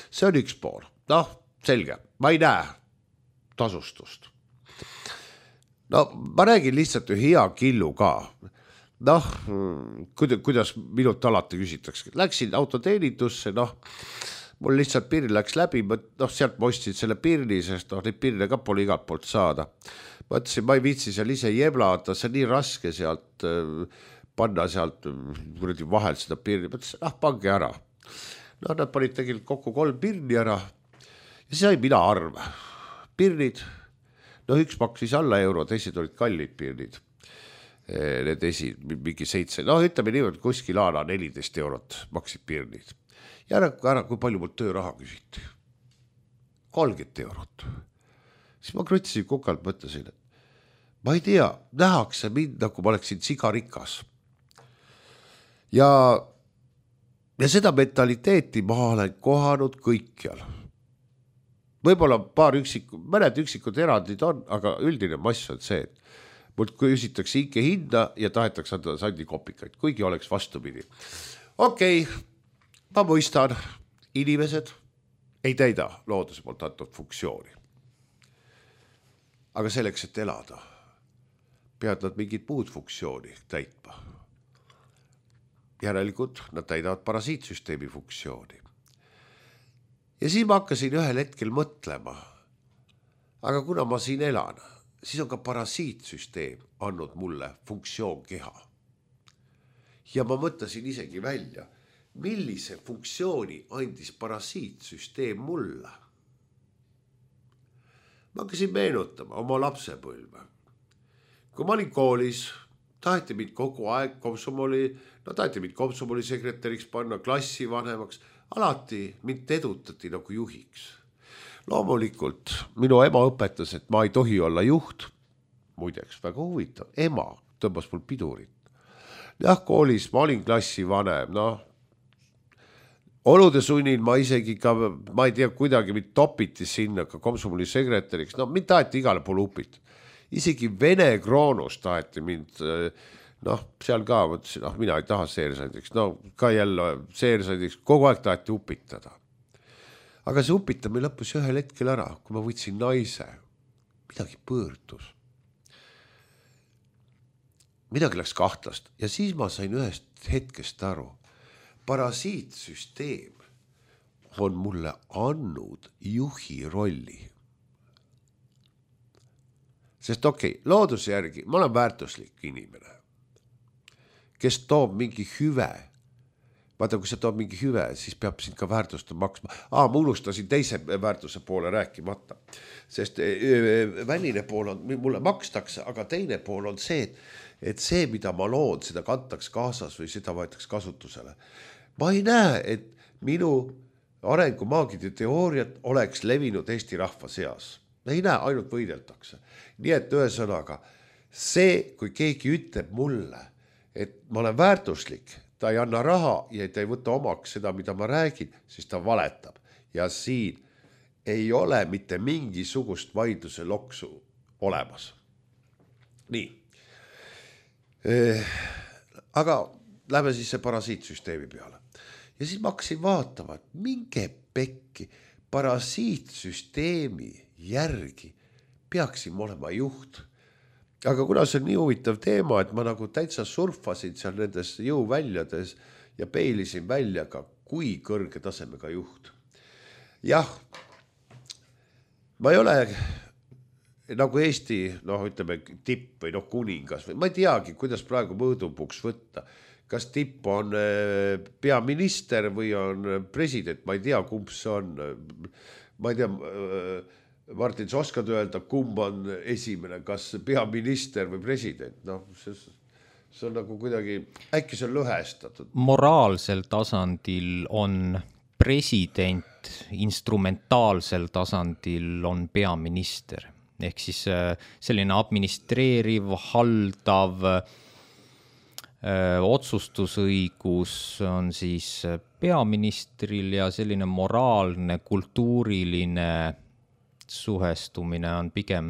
B: See on üks pool. Noh, selge, ma ei näe tasustust. No ma räägin lihtsalt ühe hea killu ka. Noh, kuidas minut alati küsitakse. Läksin autoteenindusse, noh, mul lihtsalt pirn läks läbi, noh, sealt ma ostsin selle pirni, sest noh, neid pirne ka pole igalt poolt saada. Ma ütlesin, ma ei viitsi seal ise jeblata, see on nii raske sealt panna sealt vahel seda pirni. Ma ütlesin, ah, pange ära. No nad panid tegelikult kokku kolm pirni ära ja sai mina arv. Pirnid, no üks maksis alla euro, teised olid kallid pirnid. Need esi, mingi seitse, no ütleme niimoodi, kuskil aana neliteist eurot maksid pirnid. Ja ära, ära, kui palju mul tööraha küsiti? kolmkümmend eurot. Siis ma krütsisin kukalt, mõtlesin, et ma ei tea, nähakse mind, nagu ma oleksin sigarikas. Ja, ja seda mentaliteeti ma olen kohanud kõikjal. Võib-olla paar üksikud, mõned üksikud erandid on, aga üldine mass on see, et mult küsitakse inke hinda ja tahetakse anda sandi kopikaid, kuigi oleks vastupidi. Okei, ma mõistan, inimesed ei täida looduse poolt antud funktsiooni. Aga selleks, et elada, peavad nad mingit muud funktsiooni täitma. Järelikult nad täidavad parasiitsüsteemi funktsiooni. Ja siis ma hakkasin ühel hetkel mõtlema, aga kuna ma siin elan, siis on ka parasiitsüsteem andnud mulle funktsioon keha. Ja ma mõtlesin isegi välja, millise funktsiooni andis parasiitsüsteem mulle. Ma hakkasin meenutama oma lapsepõlve. Kui ma olin koolis, taheti mind kogu aeg komsomoli, no taheti mind komsomoli sekretäriks panna, klassi vanemaks, alati mind edutati nagu juhiks. Loomulikult minu ema õpetas, et ma ei tohi olla juht. Muideks, väga huvitav. Ema tõmbas mul pidurit. Jah, koolis ma olin klassi vanem, noh. olude sunnil ma isegi ka, ma ei tea, kuidagi mind topiti sinna ka komsomoli sekretäriks, no mind taheti igale poole upit. Isegi Vene Kroonus taheti mind, noh, seal ka mõtlesin, noh, mina ei taha seersadiks, no ka jälle seersadiks, kogu aeg taheti upitada. Aga see upitamine lõppus ühel hetkel ära, kui ma võtsin naise, midagi põõrdus. Midagi läks kahtlast ja siis ma sain ühest hetkest aru. Parasiitsüsteem on mulle andnud juhi rolli. Sest okei, okay, looduse järgi ma olen väärtuslik inimene, kes toob mingi hüve. Vaata, kui sa toob mingi hüve, siis peab sind ka väärtusta maksma. Aa, ma unustasin teise väärtuse poole rääkimata. Sest väline pool on, mulle makstakse, aga teine pool on see, et see, mida ma loon, seda kantaks kaasas või seda võetaks kasutusele. Ma ei näe, et minu arengumaagide teooriat oleks levinud Eesti rahva seas. Ei näe, ainult võideldakse. Nii et ühesõnaga, see, kui keegi ütleb mulle, et ma olen väärtuslik, ta ei anna raha ja ta ei võta omaks seda, mida ma räägin, siis ta valetab. Ja siin ei ole mitte mingisugust vaidluse loksu olemas. Nii. Aga lähme siis see parasiitsüsteemi peale. Ja siis ma hakkasin vaatama, et minge pekki parasiitsüsteemi järgi peaksin olema juht. Aga kuna see on nii huvitav teema, et ma nagu täitsa surfasin seal nendes jõuväljades ja peilisin välja ka, kui kõrge tasemega juht. Jah, ma ei ole nagu Eesti, noh, ütleme, tipp või noh, kuningas või ma ei teagi, kuidas praegu mõõdupuks võtta. Kas tipp on peaminister või on president, ma ei tea, kumb see on. Ma ei tea, Martin, sa oskad öelda, kumb on esimene, kas peaminister või president? No, see, see on nagu kuidagi, äkki see on lõhestatud.
A: Moraalsel tasandil on president, instrumentaalsel tasandil on peaminister. Ehk siis selline administreeriv, haldav öö, otsustusõigus on siis peaministril ja selline moraalne, kultuuriline suhestumine on pigem,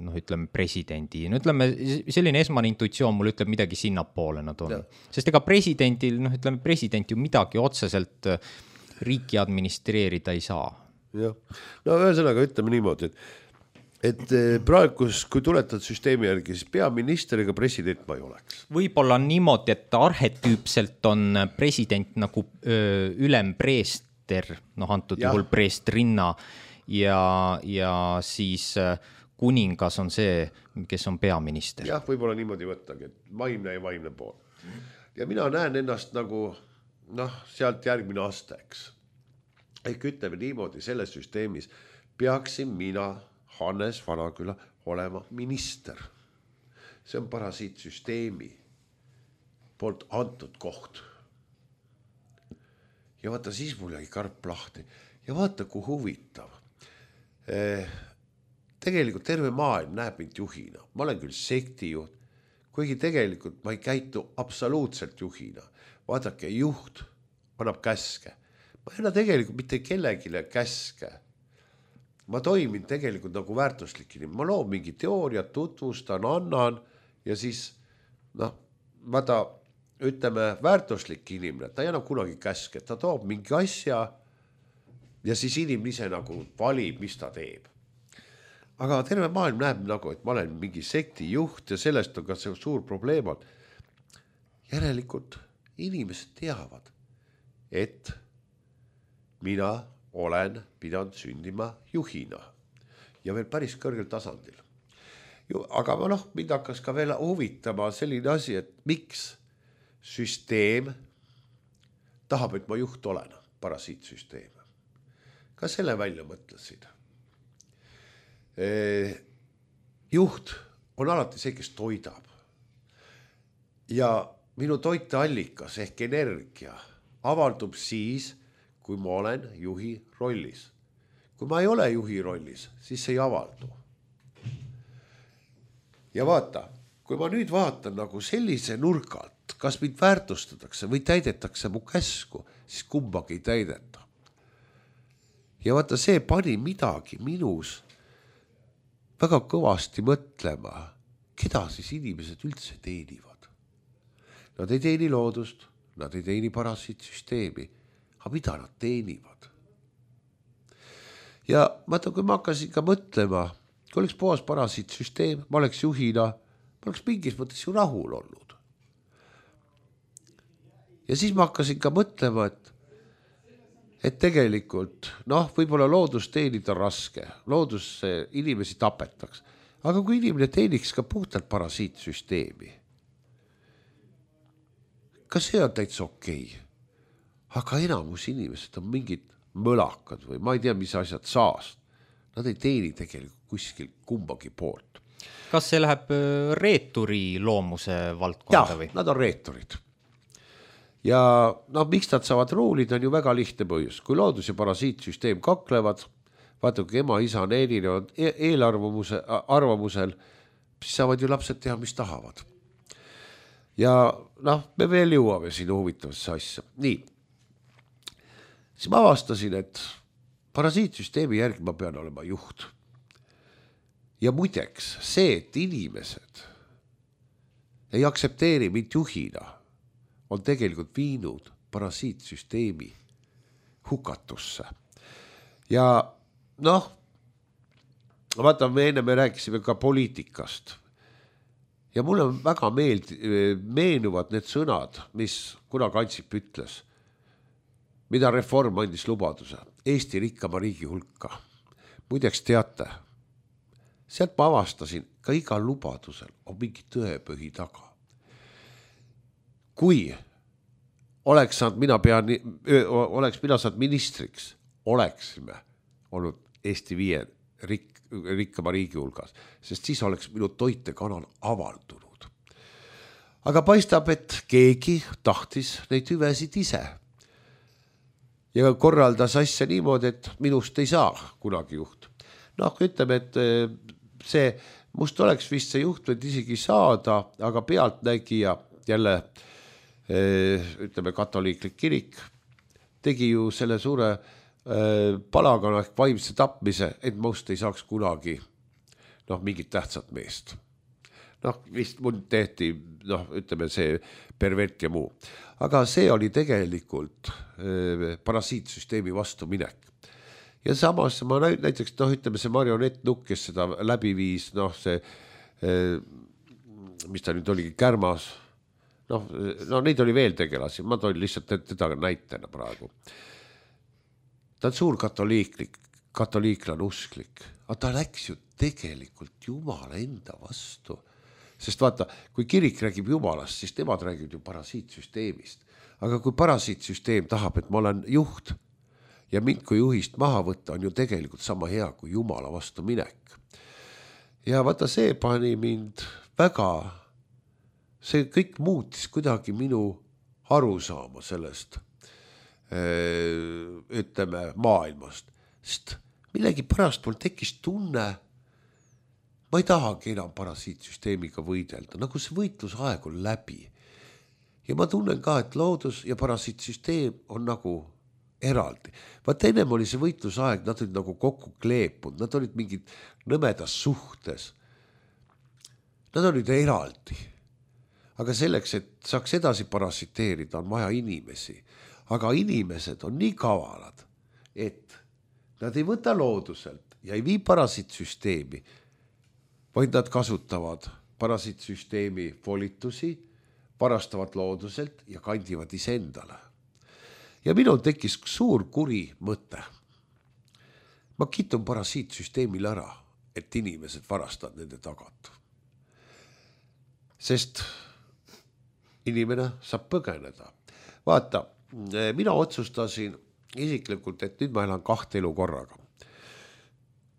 A: noh, ütleme, presidendi. No ütleme, selline esmane intuitsioon mul ütleb midagi sinnapoole nad on. Ja. Sest ega presidendil, noh, ütleme, president ju midagi otseselt riiki administreerida ei saa.
B: Jah. No ühesõnaga ütleme niimoodi, et et praegu, kui tuletad süsteemi järgi, siis peaminister ega president ma ei oleks.
A: Võib-olla on niimoodi, et arhetüüpselt on president nagu öö, ülempreester, noh, antud ja. Juhul preestrinna ja, ja siis kuningas on see, kes on peaminister.
B: Jah, võib-olla niimoodi võttagi, et vaimne ja vaimne pool. Ja mina näen ennast nagu, noh, sealt järgmine aste, eks. Ehk ütleme niimoodi, selles süsteemis peaksin mina Hannes Vanaküla olema minister. See on parasiitsüsteemi poolt antud koht. Ja vaata, siis mul jäi karp lahti. Ja vaata, kui huvitav. Tegelikult terve maailm näeb mind juhina. Ma olen küll sektijuht, kuigi tegelikult ma ei käitu absoluutselt juhina. Vaadake, juht annab käske. Ma ei anna tegelikult mitte kellegile käske. Ma toimin tegelikult nagu väärtuslik inimene. Ma loon mingi teooria, tutvustan, annan ja siis, noh, vaata, ütleme, väärtuslik inimene, ta ei anna kunagi käske, ta toob mingi asja ja siis inimene ise nagu valib, mis ta teeb. Aga terve maailm näeb nagu, et ma olen mingi sekti juht ja sellest on ka see suur probleem. Järelikult inimesed teavad, et mina olen pidanud sündima juhina ja veel päris kõrgel tasandil. Aga noh, mind hakkas ka veel huvitama selline asi, et miks süsteem tahab, et ma juht olen, parasiitsüsteem. Ka selle välja mõtlesin. Juht on alati see, kes toidab. Ja minu toiteallikas ehk energia avaldub siis, kui ma olen juhi rollis. Kui ma ei ole juhi rollis, siis ei avaldu. Ja vaata, kui ma nüüd vaatan nagu sellise nurgalt, kas mind väärtustatakse või täidetakse mu käsku, siis kumbagi ei täideta. Ja vaata, see pani midagi minus väga kõvasti mõtlema, keda siis inimesed üldse teenivad. Nad ei teeni loodust, nad ei teeni parasiitsüsteemi, aga mida nad teenivad? Ja vaata, kui ma hakkasin ka mõtlema, kui oleks puhas parasiitsüsteem, ma oleks juhina, ma oleks mingis mõttes ju rahul olnud. Ja siis ma hakkasin ka mõtlema, et, et tegelikult, noh, võib-olla loodus teenida raske, loodus inimesi tapetaks, aga kui inimene teeniks ka puhtalt parasiitsüsteemi, ka see on täitsa okei. Aga enamus inimesed on mingid mõlakad või ma ei tea, mis asjad saast. Nad ei teeni tegelikult kuskil kumbagi poolt.
A: Kas see läheb reeturi loomuse valdkonda või?
B: Jah, nad on reeturid. Ja no, miks nad saavad ruulida, on ju väga lihtne põhjus. Kui loodus ja parasiitsüsteem kaklevad, vaata, kui ema, isa on erinevad eelarvamuse, arvamusel, siis saavad ju lapsed teha, mis tahavad. Ja noh, me veel jõuame siin huvitavasse asja. Nii, siis ma avastasin, et parasiitsüsteemi järgi ma pean olema juht. Ja muideks see, et inimesed ei aksepteeri mind juhina, on tegelikult viinud parasiitsüsteemi hukatusse. Ja noh, vaata, me enne me rääkisime ka poliitikast. Ja mulle väga meeld, meenuvad need sõnad, mis kunagi Ansip ütles, mida reform andis lubaduse, Eesti rikkama riigi hulka. Muideks teate, sealt ma avastasin, ka igal lubadusel on mingi tõepõhi taga. Kui oleks saanud mina, pean, oleks mina saanud ministriks, oleksime olnud Eesti viie rik, rikkama riigi hulgas, sest siis oleks minu toitekanal avaldunud. Aga paistab, et keegi tahtis neid hüvesid ise. Ja korraldas asja niimoodi, et minust ei saa kunagi juht. Noh, ütleme, et see, must oleks vist see juht võid isegi saada, aga pealtnägija jälle, ütleme, katoliiklik kirik, tegi ju selle suure palagana ehk vaimse tapmise, et must ei saaks kunagi noh, mingit tähtsat meest. Noh, vist mul tehti, noh, ütleme see pervert ja muu. Aga see oli tegelikult parasiitsüsteemi vastu minek. Ja samas ma näiteks, noh, ütleme see marionettnukk, kes seda läbi viis, noh, see, mis ta nüüd oligi, Kärmas, noh, no neid oli veel tegelasi, ma toin lihtsalt teda näitena praegu. Ta on suur katoliiklik, katoliiklan usklik, aga ta läks ju tegelikult Jumala enda vastu. Sest vaata, kui kirik räägib Jumalast, siis nemad räägib ju parasiitsüsteemist. Aga kui parasiitsüsteem tahab, et ma olen juht, ja mind kui juhist maha võtta on ju tegelikult sama hea kui Jumala vastu minek. Ja vaata, see pani mind väga, see kõik muutis kuidagi minu arusaama sellest, ütleme, maailmast. Sest millegi pärast mul tekkis tunne, ma ei tahagi enam parasiitsüsteemiga võidelda, nagu see võitlusaeg on läbi. Ja ma tunnen ka, et loodus ja parasiitsüsteem on nagu eraldi. Vaat ennem oli see võitlusaeg, nad olid nagu kokku kleepud, nad olid mingid nõmedas suhtes. Nad olid eraldi. Aga selleks, et saaks edasi parasiteerida, on vaja inimesi. Aga inimesed on nii kavalad, et nad ei võta looduselt ja ei vii parasiitsüsteemi, vaid nad kasutavad parasiitsüsteemi volitusi, varastavad looduselt ja kandivad iseendale. Ja minul tekkis suur kuri mõte. Ma kitun parasiitsüsteemil ära, et inimesed varastavad nende tagat. Sest inimene saab põgeneda. Vaata, mina otsustasin isiklikult, et nüüd ma elan kahte elu korraga.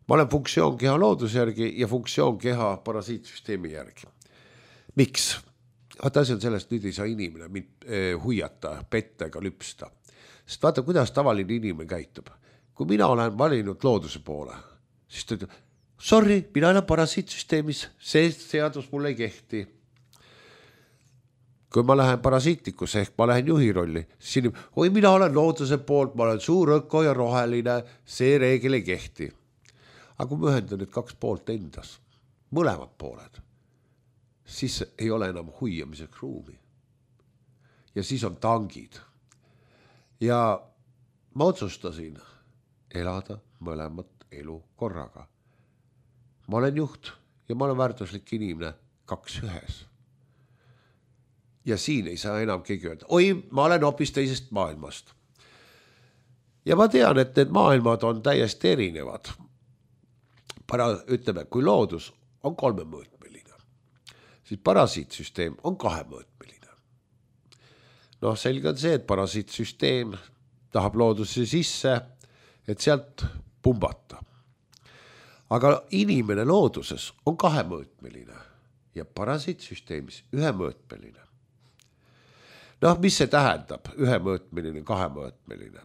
B: Ma olen funktsioonkeha looduse järgi ja funktsioonkeha parasiitsüsteemi järgi. Miks? Vaata, asi on sellest, nüüd ei saa inimene mind huiata, petta ega lüpsta. Sest vaata, kuidas tavaline inimene käitub. Kui mina olen valinud looduse poole, siis ta ütleb, sorry, mina olen parasiitsüsteemis, see seadus mulle ei kehti. kui ma lähen parasiitikusse ehk ma lähen juhi rolli, siis siin, oi, mina olen looduse poolt, ma olen suur öko ja roheline, see reegel ei kehti. Aga kui ma ühendan need kaks poolt endas, mõlemad pooled, siis ei ole enam huiamiseks ruumi. Ja siis on tangid. Ja ma otsustasin elada mõlemat elu korraga. Ma olen juht ja ma olen väärtuslik inimene kaks ühes. Ja siin ei saa enam keegi öelda, oi, ma olen hoopis teisest maailmast. Ja ma tean, et need maailmad on täiesti erinevad. Para, ütleme, kui loodus on kolmemõõtmeline, siis parasiitsüsteem on kahemõõtmeline. Noh, selge on see, et parasiitsüsteem tahab looduse sisse, et sealt pumbata. Aga inimene looduses on kahemõõtmeline ja parasiitsüsteemis ühemõõtmeline. Noh, mis see tähendab? Ühemõõtmeline, kahemõõtmeline.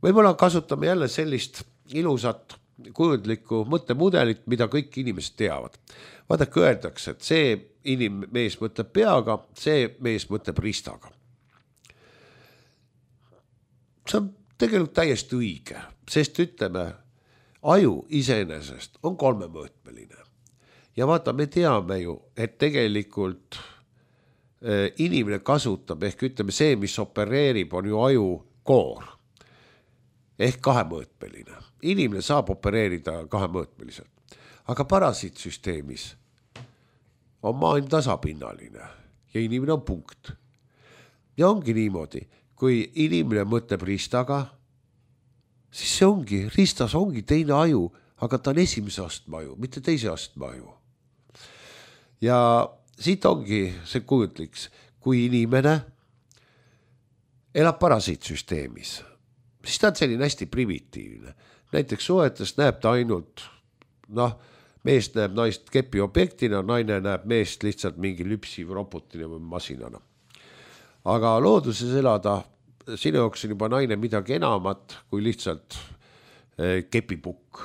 B: Võib-olla kasutame jälle sellist ilusat kujundlikku mõttemudelit, mida kõik inimesed teavad. Vaadake, öeldakse, et see inim- mees mõtleb peaga, see mees mõtleb ristaga. See on tegelikult täiesti õige, sest ütleme, aju iseenesest on kolmemõõtmeline. Ja vaata, me teame ju, et tegelikult inimene kasutab, ehk ütleme see, mis opereerib, on ju aju koor. Ehk kahemõõtmeline. Inimene saab opereerida kahemõõtmeliselt. Aga parasiitsüsteemis on maailm tasapinnaline ja inimene on punkt. Ja ongi niimoodi, kui inimene mõtleb ristaga, siis see ongi, ristas ongi teine aju, aga ta on esimese astme aju, mitte teise astme aju. Ja siit ongi see kujutliks, kui inimene elab parasiitsüsteemis, siis ta on selline hästi primitiivne. Näiteks suhetest näeb ta ainult, noh, mees näeb naist kepi objektina, naine näeb meest lihtsalt mingi lüpsiv robotina või masinana. Aga looduses elada, sinu jaoks on juba naine midagi enamat kui lihtsalt kepipukk.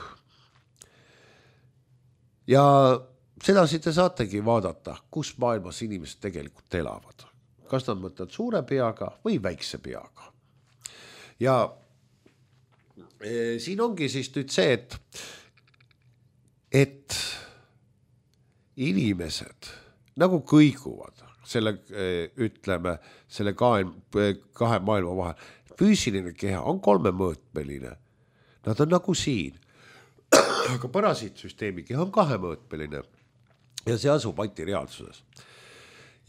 B: Ja sedasi te saategi vaadata, kus maailmas inimesed tegelikult elavad. Kas nad mõtlevad suure peaga või väikse peaga. Ja e, siin ongi siis nüüd see, et, et inimesed nagu kõiguvad selle, ütleme, selle kahe, kahe maailma vahel. Füüsiline keha on kolmemõõtmeline. Nad on nagu siin. Aga parasiitsüsteemi keha on kahemõõtmeline. Ja see asub antireaalsuses.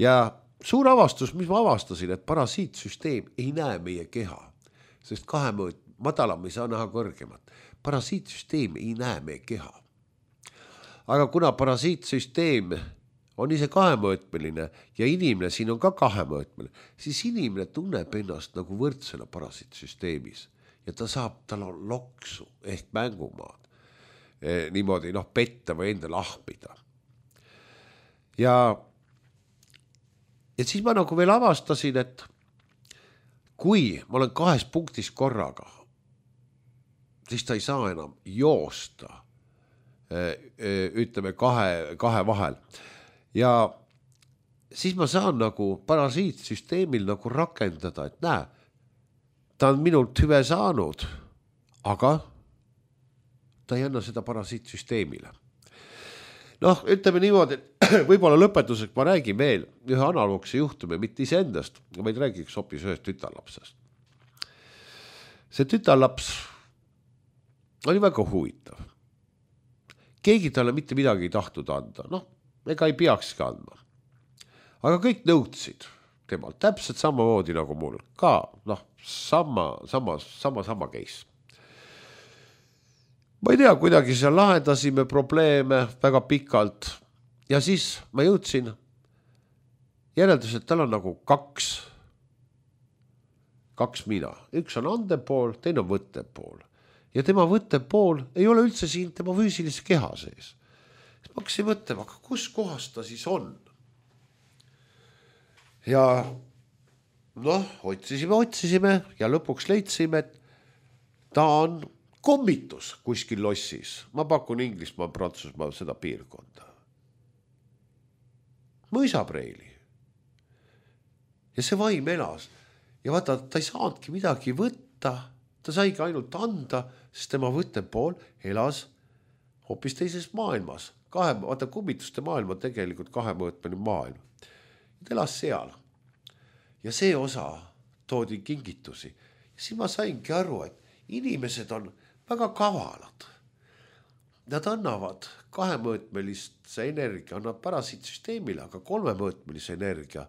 B: Ja suur avastus, mis ma avastasin, et parasiitsüsteem ei näe meie keha, sest kahemõõt, madalam ei saa näha kõrgemat. Parasiitsüsteem ei näe meie keha. Aga kuna parasiitsüsteem on ise kahemõõtmeline ja inimene siin on ka kahemõõtmeline, siis inimene tunneb ennast nagu võrdsena parasiitsüsteemis ja ta saab, tal on loksu ehk mängumaad e, niimoodi noh, petta või enda lahmida. Ja, ja siis ma nagu veel avastasin, et kui ma olen kahes punktis korraga, siis ta ei saa enam joosta, ütleme kahe, kahe vahel. Ja siis ma saan nagu parasiitsüsteemil nagu rakendada, et näe, ta on minult hüve saanud, aga ta ei anna seda parasiitsüsteemile. Noh, ütleme niimoodi, et võib-olla lõpetuseks ma räägin veel ühe analoogse juhtumi, mitte iseendast, vaid räägiks hoopis ühest tütarlapsest. See tütarlaps oli väga huvitav. Keegi talle mitte midagi ei tahtnud anda, noh, ega ei peakski andma. Aga kõik nõudsid temalt, täpselt samamoodi nagu mul, ka noh, sama, sama, sama, sama case. Ma ei tea, kuidagi seal lahendasime probleeme väga pikalt ja siis ma jõudsin järeldus, et tal on nagu kaks, kaks mina. Üks on andev pool, teine on võttev pool. Ja tema võttev pool ei ole üldse siin tema füüsilise keha sees. Ma hakkasin mõtlema, aga kus kohas ta siis on? Ja noh, otsisime, otsisime ja lõpuks leidsime, et ta on kommitus kuskil lossis. Ma pakun Inglismaa, Prantsusmaa seda piirkonda. Mõisapreili. ja see vaim elas ja vaata, ta ei saanudki midagi võtta, ta saigi ainult anda, sest tema võttepool elas hoopis teises maailmas. Kahe, vaata kummituste maailm on tegelikult kahemõõtmeline maailm. Ta elas seal ja see osa toodi kingitusi. Ja siis ma saingi aru, et inimesed on väga kavalad. Nad annavad kahemõõtmelise energia, annavad parasiitsüsteemile, aga kolmemõõtmelise energia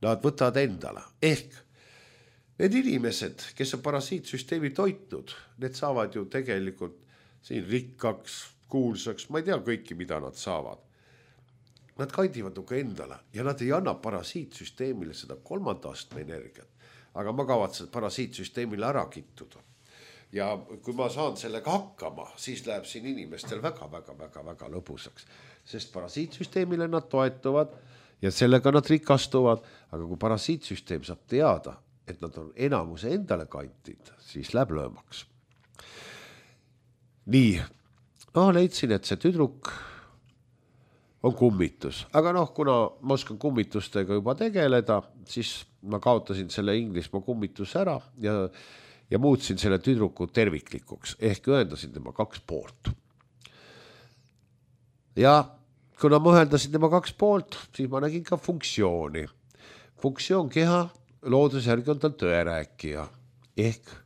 B: nad võtavad endale. Ehk need inimesed, kes on parasiitsüsteemi toitnud, need saavad ju tegelikult siin rikkaks, kuulsaks, ma ei tea kõiki, mida nad saavad. Nad kandivad nuga endale ja nad ei anna parasiitsüsteemile seda kolmanda astme energiat, aga ma kavatsen parasiitsüsteemile ära kittuda. Ja kui ma saan sellega hakkama, siis läheb siin inimestel väga, väga, väga, väga lõbusaks, sest parasiitsüsteemile nad toetuvad ja sellega nad rikastuvad, aga kui parasiitsüsteem saab teada, et nad on enamuse endale kantid, siis läheb löömaks. Nii, no leidsin, et see tüdruk on kummitus, aga noh, kuna ma oskan kummitustega juba tegeleda, siis ma kaotasin selle Inglismaa kummituse ära ja, ja muutsin selle tüdruku terviklikuks, ehk ühendasin tema kaks poolt. Ja kuna ma ühendasin tema kaks poolt, siis ma nägin ka funktsiooni. Funktsioon keha looduse järgi on tal tõerääkija, ehk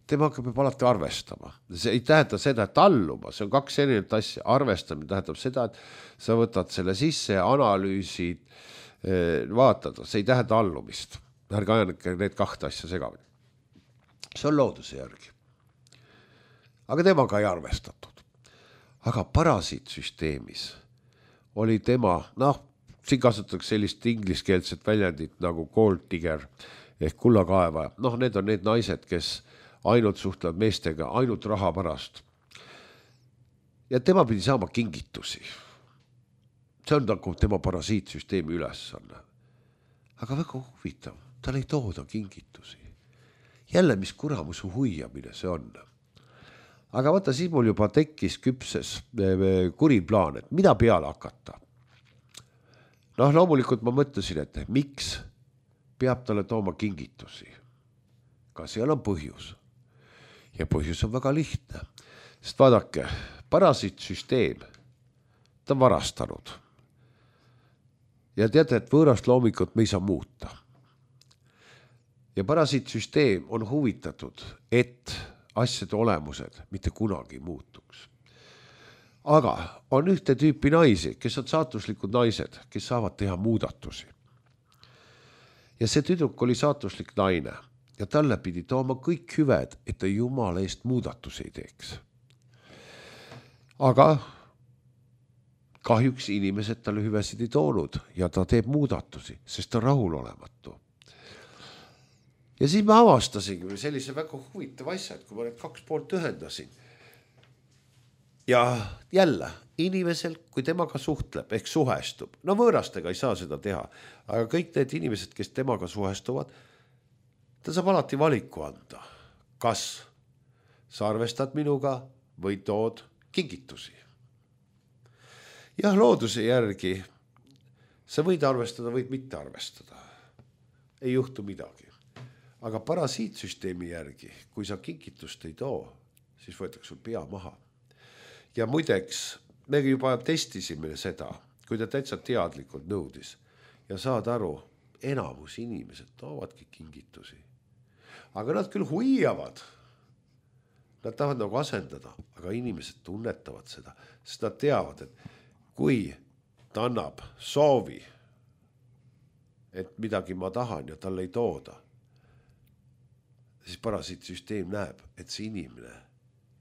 B: temaga peab alati arvestama. See ei tähenda seda, et alluma, see on kaks erinevat asja. Arvestamine tähendab seda, et sa võtad selle sisse, analüüsid, vaatada, see ei tähenda allumist. Ärge ajanike need kahte asja segamini. See on looduse järgi. Aga temaga ei arvestatud. Aga parasiitsüsteemis oli tema, noh, siin kasutatakse sellist ingliskeelset väljendit nagu gold digger ehk kullakaevaja. Noh, need on need naised, kes ainult suhtlevad meestega, ainult raha pärast. Ja tema pidi saama kingitusi. See on nagu tema parasiitsüsteemi ülesanne. Aga väga huvitav, tal ei tooda kingitusi. Jälle, mis kuramusu huiamine see on. Aga vaata, siis mul juba tekkis küpses kuri plaan, et mida peale hakata. Noh, loomulikult ma mõtlesin, et miks peab talle tooma kingitusi. Ka seal on põhjus. Ja põhjus on väga lihtne, sest vaadake, parasiitsüsteem, ta on varastanud. Ja teate, et võõrast loomikut me ei saa muuta. Ja parasiitsüsteem on huvitatud, et asjade olemused mitte kunagi muutuks. Aga on ühte tüüpi naisi, kes on saatuslikud naised, kes saavad teha muudatusi. Ja see tüdruk oli saatuslik naine. Ja talle pidi tooma kõik hüved, et ta Jumala eest muudatusi ei teeks. Aga kahjuks inimesed talle hüvesid ei toonud ja ta teeb muudatusi, sest ta rahul olematu. Ja siis ma avastasin sellise väga huvitava asja, et kui ma need kaks poolt ühendasin. Ja jälle, inimesel, kui temaga suhtleb, ehk suhestub, no võõrastega ei saa seda teha, aga kõik need inimesed, kes temaga suhestuvad, ta saab alati valiku anda, kas sa arvestad minuga või tood kingitusi. Jah, looduse järgi sa võid arvestada, võid mitte arvestada. Ei juhtu midagi. Aga parasiitsüsteemi järgi, kui sa kingitust ei too, siis võetakse sul pea maha. Ja muideks, me juba testisime seda, kui ta täitsa teadlikult nõudis ja saad aru, enamus inimesed toovadki kingitusi. Aga nad küll huiavad. Nad tahavad nagu asendada, aga inimesed tunnetavad seda, sest nad teavad, et kui ta annab soovi, et midagi ma tahan ja talle ei tooda, siis parasiitsüsteem näeb, et see inimene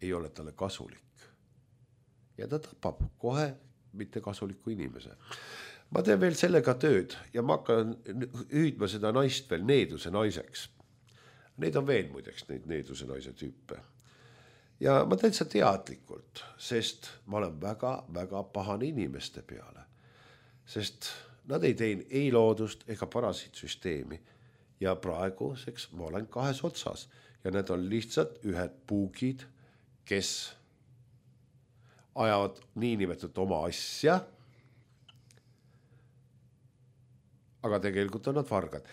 B: ei ole talle kasulik. Ja ta tapab kohe mitte kasuliku inimese. Ma teen veel sellega tööd ja ma hakkan hüüdma seda naist veel needuse naiseks. Need on veel muideks neid needuse naise tüüpe. Ja ma täitsa teadlikult, sest ma olen väga, väga pahane inimeste peale. Sest nad ei tein ei loodust ega parasiitsüsteemi. Ja praeguseks ma olen kahes otsas. Ja need on lihtsalt ühed puugid, kes ajavad niinimetud oma asja, aga tegelikult on nad vargad.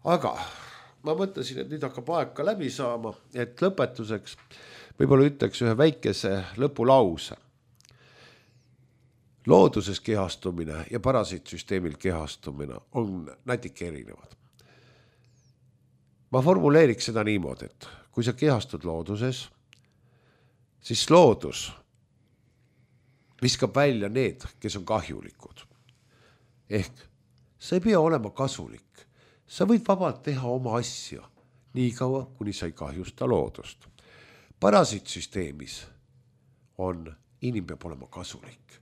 B: aga ma mõtlesin, et nüüd hakkab aeg ka läbi saama, et lõpetuseks võib-olla ütleks ühe väikese lõpulause. Looduses kehastumine ja parasiitsüsteemil kehastumine on natuke erinevad. Ma formuleeriks seda niimoodi, et kui sa kehastud looduses, siis loodus viskab välja need, kes on kahjulikud. Ehk sa ei pea olema kasulik. Sa võid vabalt teha oma asja, nii kaua, kuni sa ei kahjusta loodust. Parasiitsüsteemis on, inim peab olema kasulik.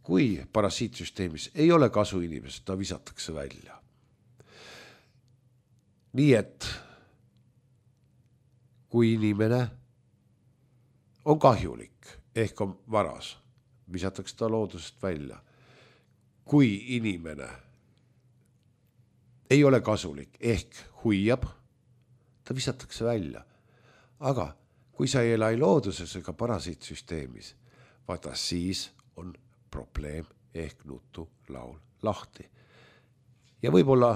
B: Kui parasiitsüsteemis ei ole kasu inimesest, ta visatakse välja. Nii et kui inimene on kahjulik, ehk on varas, visatakse ta loodusest välja. Kui inimene ei ole kasulik, ehk huiab, ta visatakse välja. Aga kui sa ei ela ei looduses ega parasiitsüsteemis, vaata siis on probleem ehk nutu laul lahti. Ja võib-olla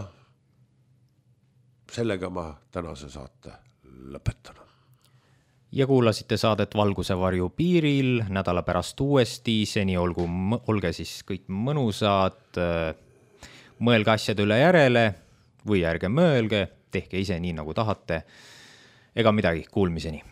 B: sellega ma tänase saate lõpetan.
A: Ja kuulasite saadet Valguse varju piiril nädala pärast uuesti, seni olgu, olge siis kõik mõnusad, mõelge asjade üle järele või ärge mõelge, tehke ise nii nagu tahate, ega midagi, kuulmiseni.